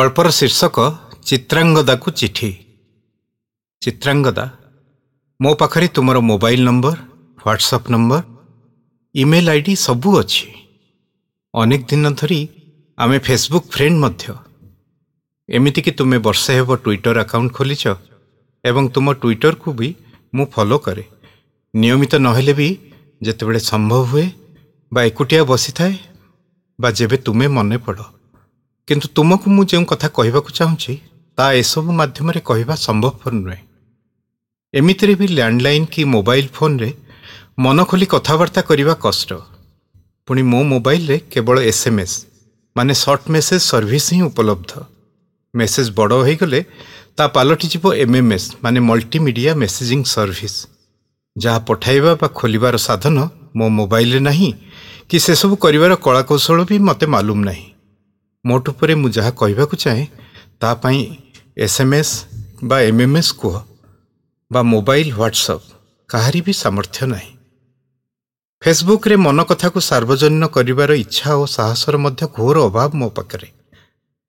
ଗଳ୍ପର ଶୀର୍ଷକ ଚିତ୍ରାଙ୍ଗଦାକୁ ଚିଠି। ଚିତ୍ରାଙ୍ଗଦା, ମୋ ପାଖରେ ତୁମର mobile number, WhatsApp number, email ID ସବୁ ଅଛି। ଅନେକ ଦିନ ଧରି ଆମେ ଫେସବୁକ୍ ଫ୍ରେଣ୍ଡ ମଧ୍ୟ। ଏମିତିକି ତୁମେ ବର୍ଷେ ହେବ ଟ୍ୱିଟର ଆକାଉଣ୍ଟ ଖୋଲିଛ ଏବଂ ତୁମ ଟ୍ୱିଟରକୁ ବି ମୁଁ ଫଲୋ କରେ। ନିୟମିତ ନହେଲେ ବି ଯେତେବେଳେ ସମ୍ଭବ ହୁଏ ବା ଏକୁଟିଆ ବସିଥାଏ ବା ଯେବେ ତୁମେ ମନେ ପଡ଼। କିନ୍ତୁ ତୁମକୁ ମୁଁ ଯେଉଁ କଥା କହିବାକୁ ଚାହୁଁଛି ତା ଏସବୁ ମାଧ୍ୟମରେ କହିବା ସମ୍ଭବପର ନୁହେଁ। ଏମିତିରେ ବି ଲ୍ୟାଣ୍ଡଲାଇନ୍ କି ମୋବାଇଲ ଫୋନ୍ରେ ମନ ଖୋଲି କଥାବାର୍ତ୍ତା କରିବା କଷ୍ଟ। ପୁଣି ମୋ ମୋବାଇଲରେ କେବଳ SMS ମାନେ ସର୍ଟ ମେସେଜ୍ ସର୍ଭିସ୍ ହିଁ ଉପଲବ୍ଧ। ମେସେଜ୍ ବଡ଼ ହୋଇଗଲେ ତା ପାଲଟିଯିବ MMS ମାନେ ମଲ୍ଟିମିଡ଼ିଆ ମେସେଜିଂ ସର୍ଭିସ୍, ଯାହା ପଠାଇବା ବା ଖୋଲିବାର ସାଧନ ମୋ ମୋବାଇଲରେ ନାହିଁ କି ସେସବୁ କରିବାର କଳାକୌଶଳ ବି ମୋତେ ମାଲୁମ ନାହିଁ। ମୋଟ ଉପରେ ମୁଁ ଯାହା କହିବାକୁ ଚାହେଁ ତା ପାଇଁ SMS ବା MMS କୁହ ବା ମୋବାଇଲ ହ୍ୱାଟ୍ସଆପ୍, କାହାରି ବି ସାମର୍ଥ୍ୟ ନାହିଁ। ଫେସବୁକ୍ରେ ମନ କଥାକୁ ସାର୍ବଜନୀନ କରିବାର ଇଚ୍ଛା ଓ ସାହସର ମଧ୍ୟ ଘୋର ଅଭାବ ମୋ ପାଖରେ।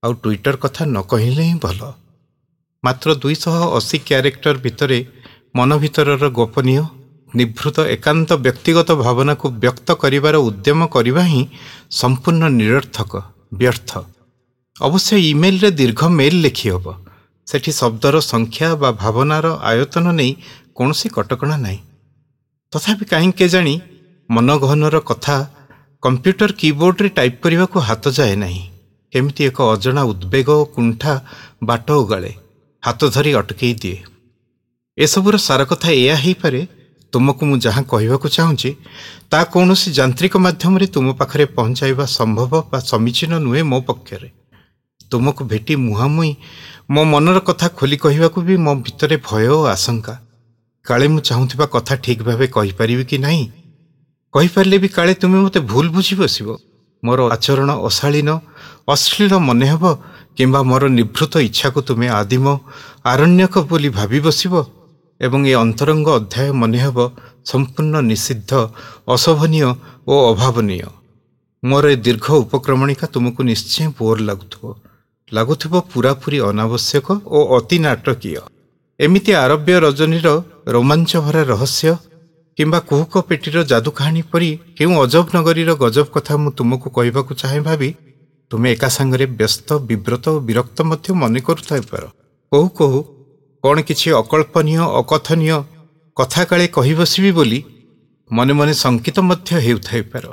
ଆଉ ଟ୍ୱିଟର କଥା ନ କହିଲେ ହିଁ ଭଲ। ମାତ୍ର 280 କ୍ୟାରେକ୍ଟର ଭିତରେ ମନ ଭିତରର ଗୋପନୀୟ, ନିଭୃତ, ଏକାନ୍ତ ବ୍ୟକ୍ତିଗତ ଭାବନାକୁ ବ୍ୟକ୍ତ କରିବାର ଉଦ୍ୟମ କରିବା ହିଁ ସମ୍ପୂର୍ଣ୍ଣ ନିରର୍ଥକ, ବ୍ୟର୍ଥ। ଅବଶ୍ୟ ଇମେଲରେ ଦୀର୍ଘ ମେଲ୍ ଲେଖିହେବ, ସେଠି ଶବ୍ଦର ସଂଖ୍ୟା ବା ଭାବନାର ଆୟତନ ନେଇ କୌଣସି କଟକଣା ନାହିଁ। ତଥାପି କାହିଁକି କେଜାଣି ମନଗହନର କଥା କମ୍ପ୍ୟୁଟର କିବୋର୍ଡ଼ରେ ଟାଇପ୍ କରିବାକୁ ହାତ ଯାଏ ନାହିଁ। କେମିତି ଏକ ଅଜଣା ଉଦ୍ବେଗ ଓ କୁଣ୍ଠା ବାଟ ଓଗାଳେ, ହାତ ଧରି ଅଟକେଇ ଦିଏ। ଏସବୁର ସାର କଥା ଏଇଆ ହେଇପାରେ, ତୁମକୁ ମୁଁ ଯାହା କହିବାକୁ ଚାହୁଁଛି ତା କୌଣସି ଯାନ୍ତ୍ରିକ ମାଧ୍ୟମରେ ତୁମ ପାଖରେ ପହଞ୍ଚାଇବା ସମ୍ଭବ ବା ସମୀଚୀନ ନୁହେଁ ମୋ ପକ୍ଷରେ। ତୁମକୁ ଭେଟି ମୁହାଁମୁହିଁ ମୋ ମନର କଥା ଖୋଲି କହିବାକୁ ବି ମୋ ଭିତରେ ଭୟ ଓ ଆଶଙ୍କା। କାଳେ ମୁଁ ଚାହୁଁଥିବା କଥା ଠିକ୍ ଭାବେ କହିପାରିବି କି ନାହିଁ, କହିପାରିଲେ ବି କାଳେ ତୁମେ ମୋତେ ଭୁଲ ବୁଝି ବସିବ, ମୋର ଆଚରଣ ଅଶାଳୀନ, ଅଶ୍ଳୀଳ ମନେ ହେବ, କିମ୍ବା ମୋର ନିଭୃତ ଇଚ୍ଛାକୁ ତୁମେ ଆଦିମ ଆରଣ୍ୟକ ବୋଲି ଭାବି ବସିବ ଏବଂ ଏ ଅନ୍ତରଙ୍ଗ ଅଧ୍ୟାୟ ମନେ ହେବ ସମ୍ପୂର୍ଣ୍ଣ ନିଷିଦ୍ଧ, ଅଶୋଭନୀୟ ଓ ଅଭାବନୀୟ। ମୋର ଏ ଦୀର୍ଘ ଉପକ୍ରମଣିକା ତୁମକୁ ନିଶ୍ଚୟ ବୋର୍ ଲାଗୁଥିବ, ପୂରାପୂରି ଅନାବଶ୍ୟକ ଓ ଅତି ନାଟକୀୟ। ଏମିତି ଆରବ୍ୟ ରଜନୀର ରୋମାଞ୍ଚଭରା ରହସ୍ୟ କିମ୍ବା କୁହୁକ ପେଟିର ଯାଦୁ କାହାଣୀ ପରି କେଉଁ ଅଜବ ନଗରୀର ଗଜବ କଥା ମୁଁ ତୁମକୁ କହିବାକୁ ଚାହେଁ ଭାବି ତୁମେ ଏକା ସାଙ୍ଗରେ ବ୍ୟସ୍ତ, ବିବ୍ରତ ଓ ବିରକ୍ତ ମଧ୍ୟ ମନେ କରୁଥାଇପାର। କହୁ କହୁ କ'ଣ କିଛି ଅକଳ୍ପନୀୟ, ଅକଥନୀୟ କଥା କାଳେ କହି ବସିବି ବୋଲି ମନେ ମନେ ଶଙ୍କିତ ମଧ୍ୟ ହେଉଥାଇପାର।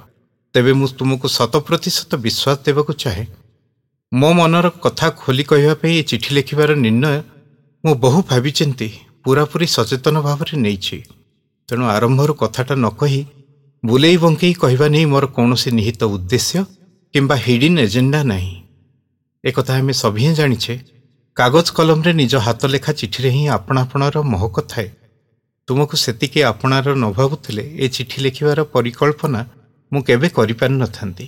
ତେବେ ମୁଁ ତୁମକୁ 100% ବିଶ୍ୱାସ ଦେବାକୁ ଚାହେଁ, ମୋ ମନର କଥା ଖୋଲି କହିବା ପାଇଁ ଏ ଚିଠି ଲେଖିବାର ନିର୍ଣ୍ଣୟ ମୁଁ ବହୁ ଭାବିଚିନ୍ତି ପୂରାପୂରି ସଚେତନ ଭାବରେ ନେଇଛି। ତେଣୁ ଆରମ୍ଭରୁ କଥାଟା ନ କହି ବୁଲେଇ ବଙ୍କେଇ କହିବା ନେଇ ମୋର କୌଣସି ନିହିତ ଉଦ୍ଦେଶ୍ୟ କିମ୍ବା ହିଡିନ୍ ଏଜେଣ୍ଡା ନାହିଁ। ଏକଥା ଆମେ ସଭିଏଁ ଜାଣିଛେ, କାଗଜ କଲମରେ ନିଜ ହାତ ଲେଖା ଚିଠିରେ ହିଁ ଆପଣା ଆପଣାର ମହକ ଥାଏ। ତୁମକୁ ସେତିକି ଆପଣାର ନ ଭାବୁଥିଲେ ଏ ଚିଠି ଲେଖିବାର ପରିକଳ୍ପନା ମୁଁ କେବେ କରିପାରିନଥାନ୍ତି।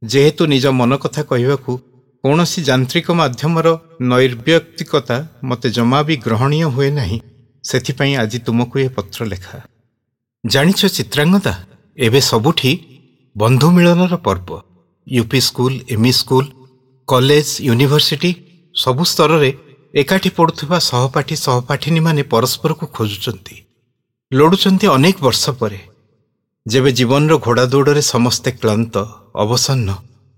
ଯେହେତୁ ନିଜ ମନ କଥା କହିବାକୁ କୌଣସି ଯାନ୍ତ୍ରିକ ମାଧ୍ୟମର ନୈର୍ବ୍ୟକ୍ତିକତା ମୋତେ ଜମା ବି ଗ୍ରହଣୀୟ ହୁଏ ନାହିଁ, ସେଥିପାଇଁ ଆଜି ତୁମକୁ ଏ ପତ୍ର ଲେଖା। ଜାଣିଛ ଚିତ୍ରାଙ୍ଗଦା, ଏବେ ସବୁଠି ବନ୍ଧୁ ମିଳନର ପର୍ବ। UP school, ME school, college, university ସବୁ ସ୍ତରରେ ଏକାଠି ପଢ଼ୁଥିବା ସହପାଠୀ ସହପାଠିନୀମାନେ ପରସ୍ପରକୁ ଖୋଜୁଛନ୍ତି, ଲୋଡ଼ୁଛନ୍ତି ଅନେକ ବର୍ଷ ପରେ, ଯେବେ ଜୀବନର ଘୋଡ଼ାଦୌଡ଼ରେ ସମସ୍ତେ କ୍ଳାନ୍ତ, ଅବସନ୍ନ,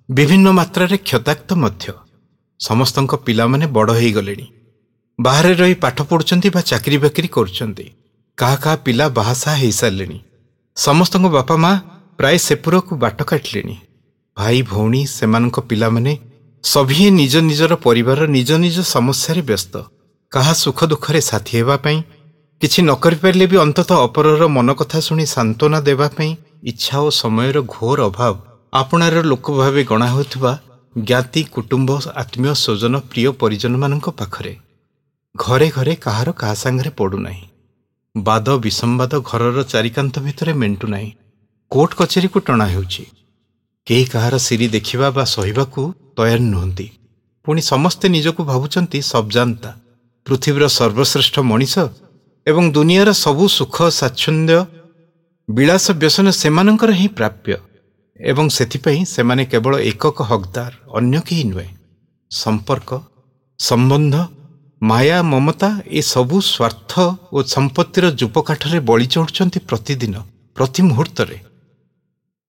ବିଭିନ୍ନ ମାତ୍ରାରେ କ୍ଷତାକ୍ତ ମଧ୍ୟ। ସମସ୍ତଙ୍କ ପିଲାମାନେ ବଡ଼ ହୋଇଗଲେଣି, ବାହାରେ ରହି ପାଠ ପଢ଼ୁଛନ୍ତି ବା ଚାକିରି ବାକିରି କରୁଛନ୍ତି, କାହା କାହା ପିଲା ବାହାସାହା ହେଇସାରିଲେଣି, ସମସ୍ତଙ୍କ ବାପା ମା ପ୍ରାୟ ସେପୁରକୁ ବାଟ କାଟିଲେଣି, ଭାଇ ଭଉଣୀ ସେମାନଙ୍କ ପିଲାମାନେ ସଭିଏଁ ନିଜ ନିଜର ପରିବାର, ନିଜ ନିଜ ସମସ୍ୟାରେ ବ୍ୟସ୍ତ। କାହା ସୁଖ ଦୁଃଖରେ ସାଥୀ ହେବା ପାଇଁ, କିଛି ନ କରିପାରିଲେ ବି ଅନ୍ତତଃ ଅପରର ମନ କଥା ଶୁଣି ସାନ୍ତ୍ୱନା ଦେବା ପାଇଁ ଇଚ୍ଛା ଓ ସମୟର ଘୋର ଅଭାବ। ଆପଣାର ଲୋକ ଭାବେ ଗଣା ହେଉଥିବା ଜ୍ଞାତି, କୁଟୁମ୍ବ, ଆତ୍ମୀୟ ସ୍ୱଜନ, ପ୍ରିୟ ପରିଜନମାନଙ୍କ ପାଖରେ ଘରେ ଘରେ କାହାର କାହା ସାଙ୍ଗରେ ପଡ଼ୁନାହିଁ। ବାଦ ବିସମ୍ବାଦ ଘରର ଚାରିକାନ୍ଥ ଭିତରେ ମେଣ୍ଟୁନାହିଁ, କୋର୍ଟ କଚେରୀକୁ ଟଣା ହେଉଛି। କେହି କାହାର ସିରି ଦେଖିବା ବା ସହିବାକୁ ତୟାର ନୁହନ୍ତି। ପୁଣି ସମସ୍ତେ ନିଜକୁ ଭାବୁଛନ୍ତି ସବଜାନ୍ତା, ପୃଥିବୀର ସର୍ବଶ୍ରେଷ୍ଠ ମଣିଷ ଏବଂ ଦୁନିଆର ସବୁ ସୁଖ ସ୍ୱାଚ୍ଛନ୍ଦ୍ୟ, ବିଳାସ ବ୍ୟସନ ସେମାନଙ୍କର ହିଁ ପ୍ରାପ୍ୟ ଏବଂ ସେଥିପାଇଁ ସେମାନେ କେବଳ ଏକକ ହକଦାର, ଅନ୍ୟ କେହି ନୁହେଁ। ସମ୍ପର୍କ, ସମ୍ବନ୍ଧ, ମାୟା, ମମତା ଏସବୁ ସ୍ୱାର୍ଥ ଓ ସମ୍ପତ୍ତିର ଯୂପକାଠରେ ବଳି ଚଢ଼ୁଛନ୍ତି ପ୍ରତିଦିନ, ପ୍ରତି ମୁହୂର୍ତ୍ତରେ।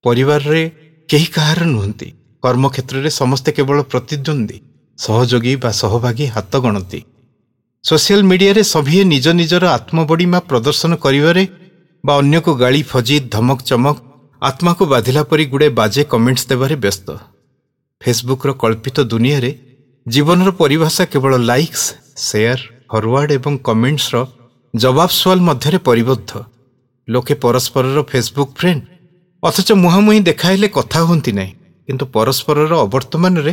ପରିବାରରେ କେହି କାହାର ନୁହନ୍ତି। କର୍ମକ୍ଷେତ୍ରରେ ସମସ୍ତେ କେବଳ ପ୍ରତିଦ୍ୱନ୍ଦ୍ୱୀ, ସହଯୋଗୀ ବା ସହଭାଗୀ ହାତ ଗଣନ୍ତି। ସୋସିଆଲ ମିଡ଼ିଆରେ ସଭିଏଁ ନିଜ ନିଜର ଆତ୍ମବଡ଼ିମା ପ୍ରଦର୍ଶନ କରିବାରେ ବା ଅନ୍ୟକୁ ଗାଳି, ଫଜି, ଧମକ ଚମକ, ଆତ୍ମାକୁ ବାଧିଲା ପରି ଗୁଡ଼େ ବାଜେ କମେଣ୍ଟସ୍ ଦେବାରେ ବ୍ୟସ୍ତ। ଫେସବୁକ୍ର କଳ୍ପିତ ଦୁନିଆରେ ଜୀବନର ପରିଭାଷା କେବଳ ଲାଇକ୍ସ, ସେୟାର, ଫରୱାର୍ଡ ଏବଂ କମେଣ୍ଟସର ଜବାବ ସୁଆଲ ମଧ୍ୟରେ ପରିବଦ୍ଧ। ଲୋକେ ପରସ୍ପରର ଫେସବୁକ୍ ଫ୍ରେଣ୍ଡ, ଅଥଚ ମୁହାଁମୁହିଁ ଦେଖାହେଲେ କଥା ହୁଅନ୍ତି ନାହିଁ, କିନ୍ତୁ ପରସ୍ପରର ଅବର୍ତ୍ତମାନରେ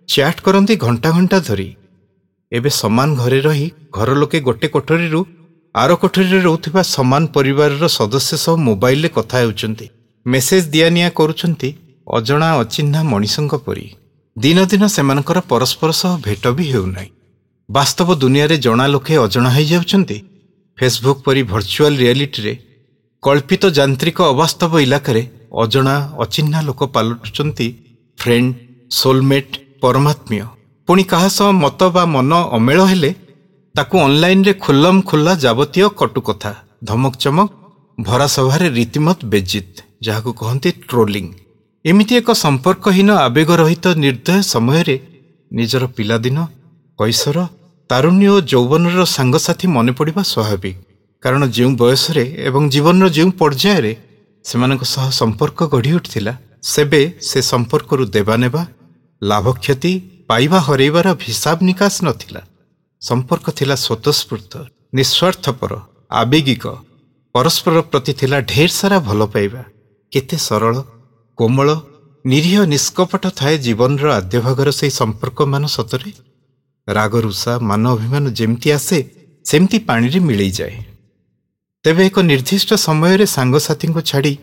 ଚ୍ୟାଟ୍ କରନ୍ତି ଘଣ୍ଟା ଘଣ୍ଟା ଧରି। ଏବେ ସମାନ ଘରେ ରହି ଘର ଲୋକେ ଗୋଟେ କୋଠରୀରୁ ଆର କୋଠରୀରେ ରହୁଥିବା ସମାନ ପରିବାରର ସଦସ୍ୟ ସହ ମୋବାଇଲରେ କଥା ହେଉଛନ୍ତି, ମେସେଜ ଦିଆନିଆ କରୁଛନ୍ତି ଅଜଣା ଅଚିହ୍ନା ମଣିଷଙ୍କ ପରି। ଦିନ ଦିନ ସେମାନଙ୍କର ପରସ୍ପର ସହ ଭେଟ ବି ହେଉନାହିଁ। ବାସ୍ତବ ଦୁନିଆରେ ଜଣା ଲୋକେ ଅଜଣା ହୋଇଯାଉଛନ୍ତି। ଫେସବୁକ୍ ପରି ଭର୍ଚୁଆଲ ରିଆଲିଟିରେ କଳ୍ପିତ ଯାନ୍ତ୍ରିକ ଅବାସ୍ତବ ଇଲାକାରେ ଅଜଣା ଅଚିହ୍ନା ଲୋକ ପାଲଟୁଛନ୍ତି ଫ୍ରେଣ୍ଡ, ସୋଲମେଟ୍, ପରମାତ୍ମୀୟ। ପୁଣି କାହା ସହ ମତ ବା ମନ ଅମେଳ ହେଲେ ତାକୁ ଅନଲାଇନରେ ଖୁଲ୍ଲମ ଖୁଲ୍ଲା ଯାବତୀୟ କଟୁ କଥା, ଧମକ ଚମକ, ଭରା ସଭାରେ ରୀତିମତ ବେଜିତ୍, ଯାହାକୁ କହନ୍ତି ଟ୍ରୋଲିଂ। ଏମିତି ଏକ ସମ୍ପର୍କହୀନ, ଆବେଗରହିତ ନିର୍ଦ୍ଦୟ ସମୟରେ ନିଜର ପିଲାଦିନ, କୈଶୋର, ତାରୁଣ୍ୟ ଓ ଯୌବନର ସାଙ୍ଗସାଥୀ ମନେ ପଡ଼ିବା ସ୍ୱାଭାବିକ। କାରଣ ଯେଉଁ ବୟସରେ ଏବଂ ଜୀବନର ଯେଉଁ ପର୍ଯ୍ୟାୟରେ ସେମାନଙ୍କ ସହ ସମ୍ପର୍କ ଗଢ଼ି ଉଠିଥିଲା, ସେବେ ସେ ସମ୍ପର୍କରୁ ଦେବା ନେବା, ଲାଭ କ୍ଷତି, ପାଇବା ହରେଇବାର ହିସାବ ନିକାଶ ନଥିଲା। ସମ୍ପର୍କ ଥିଲା ସ୍ୱତଃସ୍ଫୂର୍ତ୍ତ, ନିଃସ୍ୱାର୍ଥପର, ଆବେଗିକ। ପରସ୍ପର ପ୍ରତି ଥିଲା ଢେର ସାରା ଭଲ ପାଇବା। କେତେ ସରଳ, କୋମଳ, ନିରୀହ, ନିଷ୍କପଟ ଥାଏ ଜୀବନର ଆଦ୍ୟ ଭାଗର ସେହି ସମ୍ପର୍କମାନ। ସତରେ ରାଗ, ରୁଷା, ମାନ ଅଭିମାନ ଯେମିତି ଆସେ ସେମିତି ପାଣିରେ ମିଳେଇଯାଏ। ତେବେ ଏକ ନିର୍ଦ୍ଦିଷ୍ଟ ସମୟରେ ସାଙ୍ଗସାଥୀଙ୍କୁ ଛାଡ଼ି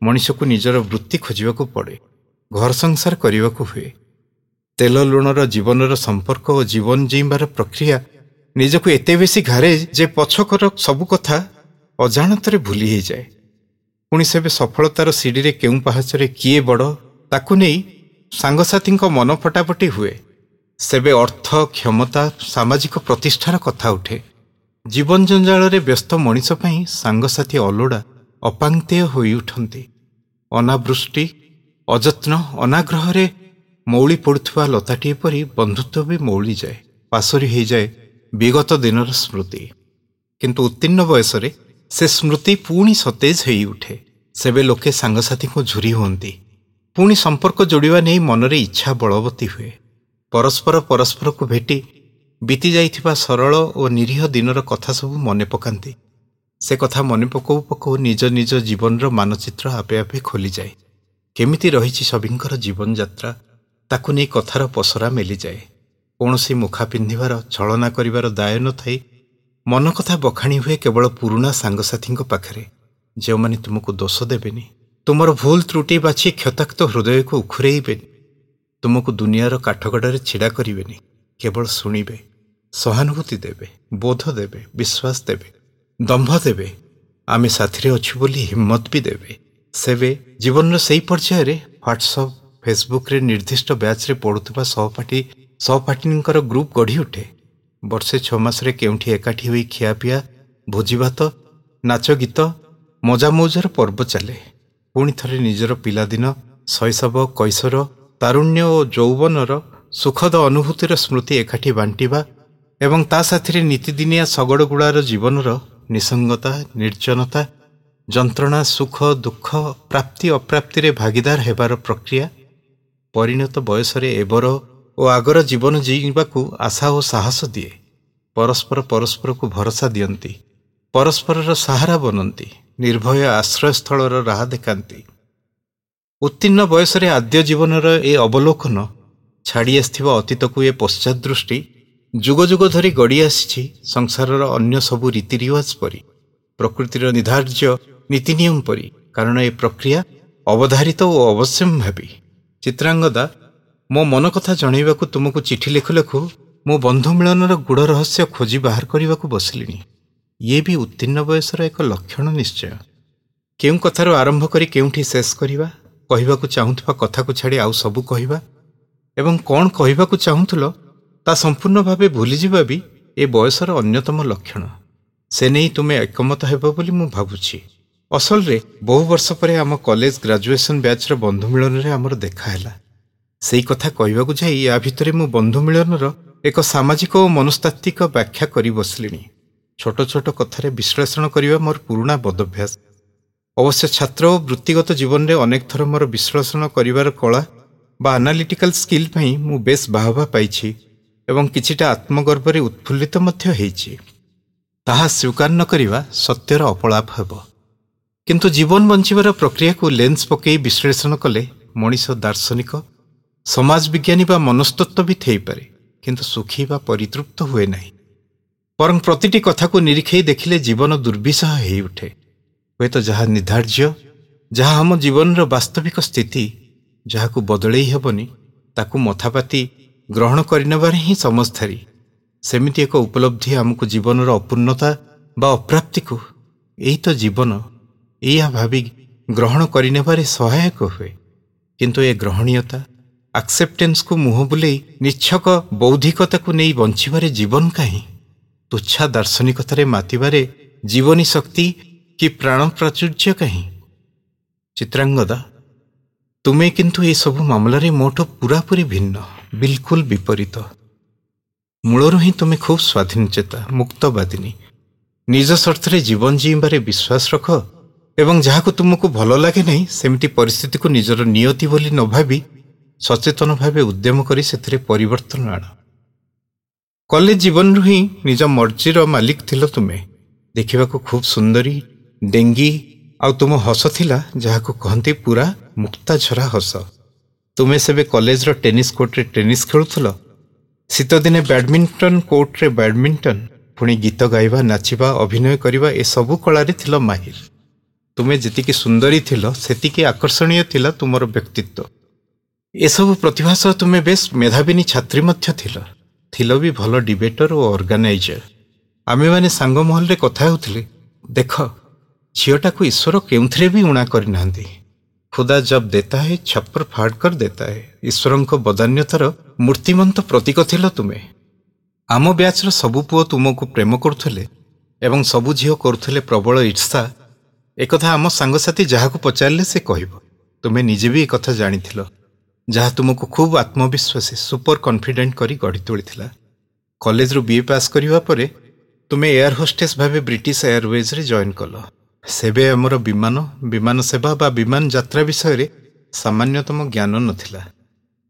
ମଣିଷକୁ ନିଜର ବୃତ୍ତି ଖୋଜିବାକୁ ପଡ଼େ, ଘର ସଂସାର କରିବାକୁ ହୁଏ। ତେଲ ଲୁଣର ଜୀବନର ସମ୍ପର୍କ ଓ ଜୀବନ ଜିଇଁବାର ପ୍ରକ୍ରିୟା ନିଜକୁ ଏତେ ବେଶୀ ଘାରେ ଯେ ପଛକର ସବୁ କଥା ଅଜାଣତରେ ଭୁଲି ହେଇଯାଏ। ପୁଣି ସେବେ ସଫଳତାର ସିଡ଼ିରେ କେଉଁ ପାହାଚରେ କିଏ ବଡ଼, ତାକୁ ନେଇ ସାଙ୍ଗସାଥୀଙ୍କ ମନ ଫଟାଫଟି ହୁଏ। ସେବେ ଅର୍ଥ, କ୍ଷମତା, ସାମାଜିକ ପ୍ରତିଷ୍ଠାର କଥା ଉଠେ। ଜୀବନ ଜଞ୍ଜାଳରେ ବ୍ୟସ୍ତ ମଣିଷ ପାଇଁ ସାଙ୍ଗସାଥୀ ଅଲୋଡ଼ା, ଅପାଙ୍କ୍ତେୟ ହୋଇଉଠନ୍ତି। ଅନାବୃଷ୍ଟି, ଅଯତ୍ନ, ଅନାଗ୍ରହରେ ମଉଳି ପଡ଼ୁଥିବା ଲତାଟିଏ ପରି ବନ୍ଧୁତ୍ୱ ବି ମଉଳିଯାଏ, ପାଶୋରି ହେଇଯାଏ ବିଗତ ଦିନର ସ୍ମୃତି। କିନ୍ତୁ ଉତ୍ତୀର୍ଣ୍ଣ ବୟସରେ ସେ ସ୍ମୃତି ପୁଣି ସତେଜ ହୋଇଉଠେ। ସେବେ ଲୋକେ ସାଙ୍ଗସାଥୀଙ୍କୁ ଝୁରି ହୁଅନ୍ତି। ପୁଣି ସମ୍ପର୍କ ଯୋଡ଼ିବା ନେଇ ମନରେ ଇଚ୍ଛା ବଳବତୀ ହୁଏ। ପରସ୍ପର ପରସ୍ପରକୁ ଭେଟି ବିତି ଯାଇଥିବା ସରଳ ଓ ନିରୀହ ଦିନର କଥା ସବୁ ମନେ ପକାନ୍ତି। ସେ କଥା ମନେ ପକଉ ପକଉ ନିଜ ନିଜ ଜୀବନର ମାନଚିତ୍ର ଆପେ ଆପେ ଖୋଲିଯାଏ। କେମିତି ରହିଛି ସଭିଙ୍କର ଜୀବନଯାତ୍ରା, ତାକୁ ନେଇ କଥାର ପସରା ମେଲିଯାଏ। କୌଣସି ମୁଖା ପିନ୍ଧିବାର, ଛଳନା କରିବାର ଦାୟ ନଥାଇ ମନ କଥା ବଖାଣି ହୁଏ କେବଳ ପୁରୁଣା ସାଙ୍ଗସାଥୀଙ୍କ ପାଖରେ, ଯେଉଁମାନେ ତୁମକୁ ଦୋଷ ଦେବେନି, ତୁମର ଭୁଲ ତ୍ରୁଟି ବାଛି କ୍ଷତାକ୍ତ ହୃଦୟକୁ ଉଖୁରେଇବେନି, ତୁମକୁ ଦୁନିଆର କାଠଗଡ଼ାରେ ଛିଡ଼ା କରିବେନି, କେବଳ ଶୁଣିବେ, ସହାନୁଭୂତି ଦେବେ, ବୋଧ ଦେବେ, ବିଶ୍ୱାସ ଦେବେ, ଦମ୍ଭ ଦେବେ, ଆମେ ସାଥିରେ ଅଛୁ ବୋଲି ହିମ୍ମତ ବି ଦେବେ। ସେବେ ଜୀବନର ସେଇ ପର୍ଯ୍ୟାୟରେ ହ୍ୱାଟ୍ସଅପ୍, ଫେସବୁକ୍ରେ ନିର୍ଦ୍ଦିଷ୍ଟ ବ୍ୟାଚ୍ରେ ପଢ଼ୁଥିବା ସହପାଠୀ ସହପାଠିନୀଙ୍କର ଗ୍ରୁପ୍ ଗଢ଼ି ଉଠେ। ବର୍ଷେ 6 ମାସରେ କେଉଁଠି ଏକାଠି ହୋଇ ଖିଆପିଆ, ଭୋଜିଭାତ, ନାଚ ଗୀତ, ମଜାମଉଜର ପର୍ବ ଚାଲେ। ପୁଣି ଥରେ ନିଜର ପିଲାଦିନ, ଶୈଶବ, କୈଶୋର, ତାରୁଣ୍ୟ ଓ ଯୌବନର ସୁଖଦ ଅନୁଭୂତିର ସ୍ମୃତି ଏକାଠି ବାଣ୍ଟିବା ଏବଂ ତା ସାଥିରେ ନିତିଦିନିଆ ଶଗଡ଼ଗୁଡ଼ାର ଜୀବନର ନିସଙ୍ଗତା, ନିର୍ଜନତା, ଯନ୍ତ୍ରଣା, ସୁଖ ଦୁଃଖ, ପ୍ରାପ୍ତି ଅପ୍ରାପ୍ତିରେ ଭାଗିଦାର ହେବାର ପ୍ରକ୍ରିୟା ପରିଣତ ବୟସରେ ଏବର ଓ ଆଗର ଜୀବନ ଜିଇଁବାକୁ ଆଶା ଓ ସାହସ ଦିଏ। ପରସ୍ପର ପରସ୍ପରକୁ ଭରସା ଦିଅନ୍ତି, ପରସ୍ପରର ସାହାରା ବନନ୍ତି, ନିର୍ଭୟ ଆଶ୍ରୟସ୍ଥଳର ରାହା ଦେଖାନ୍ତି। ଉତ୍ତୀର୍ଣ୍ଣ ବୟସରେ ଆଦ୍ୟ ଜୀବନର ଏ ଅବଲୋକନ, ଛାଡ଼ି ଆସିଥିବା ଅତୀତକୁ ଏ ପଶ୍ଚାତ ଦୃଷ୍ଟି ଯୁଗ ଯୁଗ ଧରି ଗଡ଼ି ଆସିଛି ସଂସାରର ଅନ୍ୟ ସବୁ ରୀତିରିୱାଜ ପରି, ପ୍ରକୃତିର ନିର୍ଦ୍ଧାର୍ଯ୍ୟ ନୀତିନିୟମ ପରି। କାରଣ ଏ ପ୍ରକ୍ରିୟା ଅବଧାରିତ ଓ ଅବଶ୍ୟମ୍ଭାବୀ। ଚିତ୍ରାଙ୍ଗଦା, ମୋ ମନ କଥା ଜଣାଇବାକୁ ତୁମକୁ ଚିଠି ଲେଖୁ ଲେଖୁ ମୁଁ ବନ୍ଧୁ ମିଳନର ଗୂଢ଼ ରହସ୍ୟ ଖୋଜି ବାହାର କରିବାକୁ ବସିଲିଣି। ଇଏ ବି ଉତ୍ତୀର୍ଣ୍ଣ ବୟସର ଏକ ଲକ୍ଷଣ ନିଶ୍ଚୟ। କେଉଁ କଥାରୁ ଆରମ୍ଭ କରି କେଉଁଠି ଶେଷ କରିବା, କହିବାକୁ ଚାହୁଁଥିବା କଥାକୁ ଛାଡ଼ି ଆଉ ସବୁ କହିବା ଏବଂ କ'ଣ କହିବାକୁ ଚାହୁଁଥିଲ ତା ସମ୍ପୂର୍ଣ୍ଣ ଭାବେ ଭୁଲିଯିବା ବି ଏ ବୟସର ଅନ୍ୟତମ ଲକ୍ଷଣ। ସେ ନେଇ ତୁମେ ଏକମତ ହେବ ବୋଲି ମୁଁ ଭାବୁଛି। ଅସଲରେ ବହୁ ବର୍ଷ ପରେ ଆମ କଲେଜ ଗ୍ରାଜୁଏସନ୍ ବ୍ୟାଚ୍ର ବନ୍ଧୁ ମିଳନରେ ଆମର ଦେଖା ହେଲା। ସେଇ କଥା କହିବାକୁ ଯାଇ ୟା ଭିତରେ ମୁଁ ବନ୍ଧୁ ମିଳନର ଏକ ସାମାଜିକ ଓ ମନସ୍ତାତ୍ତ୍ୱିକ ବ୍ୟାଖ୍ୟା କରି ବସିଲିଣି। ଛୋଟ ଛୋଟ କଥାରେ ବିଶ୍ଳେଷଣ କରିବା ମୋର ପୁରୁଣା ବଦଭ୍ୟାସ। ଅବଶ୍ୟ ଛାତ୍ର ଓ ବୃତ୍ତିଗତ ଜୀବନରେ ଅନେକ ଥର ମୋର ବିଶ୍ଳେଷଣ କରିବାର କଳା ବା ଆନାଲିଟିକାଲ ସ୍କିଲ୍ ପାଇଁ ମୁଁ ବେଶ୍ ବାହବା ପାଇଛି ଏବଂ କିଛିଟା ଆତ୍ମଗର୍ବରେ ଉତ୍ଫୁଲ୍ଲିତ ମଧ୍ୟ ହେଇଛି। ତାହା ସ୍ୱୀକାର ନ କରିବା ସତ୍ୟର ଅପଳାପ ହେବ। କିନ୍ତୁ ଜୀବନ ବଞ୍ଚିବାର ପ୍ରକ୍ରିୟାକୁ ଲେନ୍ସ ପକାଇ ବିଶ୍ଳେଷଣ କଲେ ମଣିଷ ଦାର୍ଶନିକ, ସମାଜ ବିଜ୍ଞାନୀ ବା ମନସ୍ତତ୍ତ୍ୱବିତ୍ ହେଇପାରେ, କିନ୍ତୁ ସୁଖୀ ବା ପରିତୃପ୍ତ ହୁଏ ନାହିଁ। ବରଂ ପ୍ରତିଟି କଥାକୁ ନିରୀକ୍ଷେଇ ଦେଖିଲେ ଜୀବନ ଦୁର୍ବିସହ ହେଇଉଠେ। ହୁଏତ ଯାହା ନିର୍ଦ୍ଧାର୍ଯ୍ୟ, ଯାହା ଆମ ଜୀବନର ବାସ୍ତବିକ ସ୍ଥିତି, ଯାହାକୁ ବଦଳେଇ ହେବନି, ତାକୁ ମଥାପାତି ଗ୍ରହଣ କରିନେବାରେ ହିଁ ସମସ୍ଧାରୀ। ସେମିତି ଏକ ଉପଲବ୍ଧି ଆମକୁ ଜୀବନର ଅପୂର୍ଣ୍ଣତା ବା ଅପ୍ରାପ୍ତିକୁ ଏଇ ତ ଜୀବନ, ଏଇଆ ଭାବି ଗ୍ରହଣ କରିନେବାରେ ସହାୟକ ହୁଏ। କିନ୍ତୁ ଏ ଗ୍ରହଣୀୟତା, ଆକ୍ସେପ୍ଟେନ୍ସକୁ ମୁହଁ ବୁଲେଇ ନିଚ୍ଛକ ବୌଦ୍ଧିକତାକୁ ନେଇ ବଞ୍ଚିବାରେ ଜୀବନ କାହିଁ? ତୁଚ୍ଛା ଦାର୍ଶନିକତାରେ ମାତିବାରେ ଜୀବନୀ ଶକ୍ତି କି ପ୍ରାଣ ପ୍ରାଚୁର୍ଯ୍ୟ କାହିଁ? ଚିତ୍ରାଙ୍ଗଦା, ତୁମେ କିନ୍ତୁ ଏସବୁ ମାମଲାରେ ମୋଠୁ ପୁରାପୁରି ଭିନ୍ନ, ବିଲକୁଲ ବିପରୀତ। ମୂଳରୁ ହିଁ ତୁମେ ଖୁବ୍ ସ୍ୱାଧୀନଚେତା, ମୁକ୍ତବାଦିନୀ। ନିଜ ସର୍ତ୍ତରେ ଜୀବନ ଜୀଇଁବାରେ ବିଶ୍ୱାସ ରଖ ଏବଂ ଯାହାକୁ ତୁମକୁ ଭଲ ଲାଗେ ନାହିଁ ସେମିତି ପରିସ୍ଥିତିକୁ ନିଜର ନିୟତି ବୋଲି ନ ଭାବି ସଚେତନ ଭାବେ ଉଦ୍ୟମ କରି ସେଥିରେ ପରିବର୍ତ୍ତନ ଆଣ। କଲେଜ ଜୀବନରୁ ହିଁ ନିଜ ମର୍ଜିର ମାଲିକ ଥିଲ ତୁମେ। ଦେଖିବାକୁ ଖୁବ୍ ସୁନ୍ଦରୀ, ଡେଙ୍ଗୀ, ଆଉ ତୁମ ହସ ଥିଲା ଯାହାକୁ କହନ୍ତି ପୁରା ମୁକ୍ତାଝରା ହସ। ତୁମେ ସେବେ କଲେଜର ଟେନିସ୍ କୋର୍ଟରେ ଟେନିସ୍ ଖେଳୁଥିଲ, ଶୀତଦିନେ ବ୍ୟାଡମିଣ୍ଟନ କୋର୍ଟରେ ବ୍ୟାଡମିଣ୍ଟନ, ପୁଣି ଗୀତ ଗାଇବା, ନାଚିବା, ଅଭିନୟ କରିବା ଏସବୁ କଳାରେ ଥିଲ ମାହିର। ତୁମେ ଯେତିକି ସୁନ୍ଦରୀ ଥିଲ ସେତିକି ଆକର୍ଷଣୀୟ ଥିଲା ତୁମର ବ୍ୟକ୍ତିତ୍ୱ। ଏସବୁ ପ୍ରତିଭା ସହ ତୁମେ ବେଶ ମେଧାବିନୀ ଛାତ୍ରୀ ମଧ୍ୟ ଥିଲ। ଥିଲ ବି ଭଲ ଡିବେଟର ଓ ଅର୍ଗାନାଇଜର। ଆମେମାନେ ସାଙ୍ଗ ମହଲରେ କଥା ହେଉଥିଲେ, ଦେଖ ଝିଅଟାକୁ ଈଶ୍ୱର କେଉଁଥିରେ ବି ଊଣା କରିନାହାନ୍ତି। ଖୁଦା ଜବ୍ ଦେତା ହେ ଛପ୍ପର ଫାଡ଼ କର ଦେତା ହେ। ଈଶ୍ୱରଙ୍କ ବଦାନ୍ୟତାର ମୂର୍ତ୍ତିମନ୍ତ ପ୍ରତୀକ ଥିଲ ତୁମେ। ଆମ ବ୍ୟାଚ୍ର ସବୁ ପୁଅ ତୁମକୁ ପ୍ରେମ କରୁଥିଲେ ଏବଂ ସବୁ ଝିଅ କରୁଥିଲେ ପ୍ରବଳ ଈର୍ଷା। ଏକଥା ଆମ ସାଙ୍ଗସାଥୀ ଯାହାକୁ ପଚାରିଲେ ସେ କହିବ। ତୁମେ ନିଜେ ବି ଏକଥା ଜାଣିଥିଲ, ଯାହା ତୁମକୁ ଖୁବ୍ ଆତ୍ମବିଶ୍ୱାସୀ, ସୁପର କନଫିଡେଣ୍ଟ କରି ଗଢ଼ି ତୋଳିଥିଲା। କଲେଜରୁ ବିଏ ପାସ୍ କରିବା ପରେ ତୁମେ ଏୟାର ହୋଷ୍ଟେସ୍ ଭାବେ ବ୍ରିଟିଶ ଏୟାରୱେଜ୍ରେ ଜଏନ୍ କଲ। ସେବେ ଆମର ବିମାନ, ବିମାନ ସେବା ବା ବିମାନ ଯାତ୍ରା ବିଷୟରେ ସାମାନ୍ୟତମ ଜ୍ଞାନ ନଥିଲା।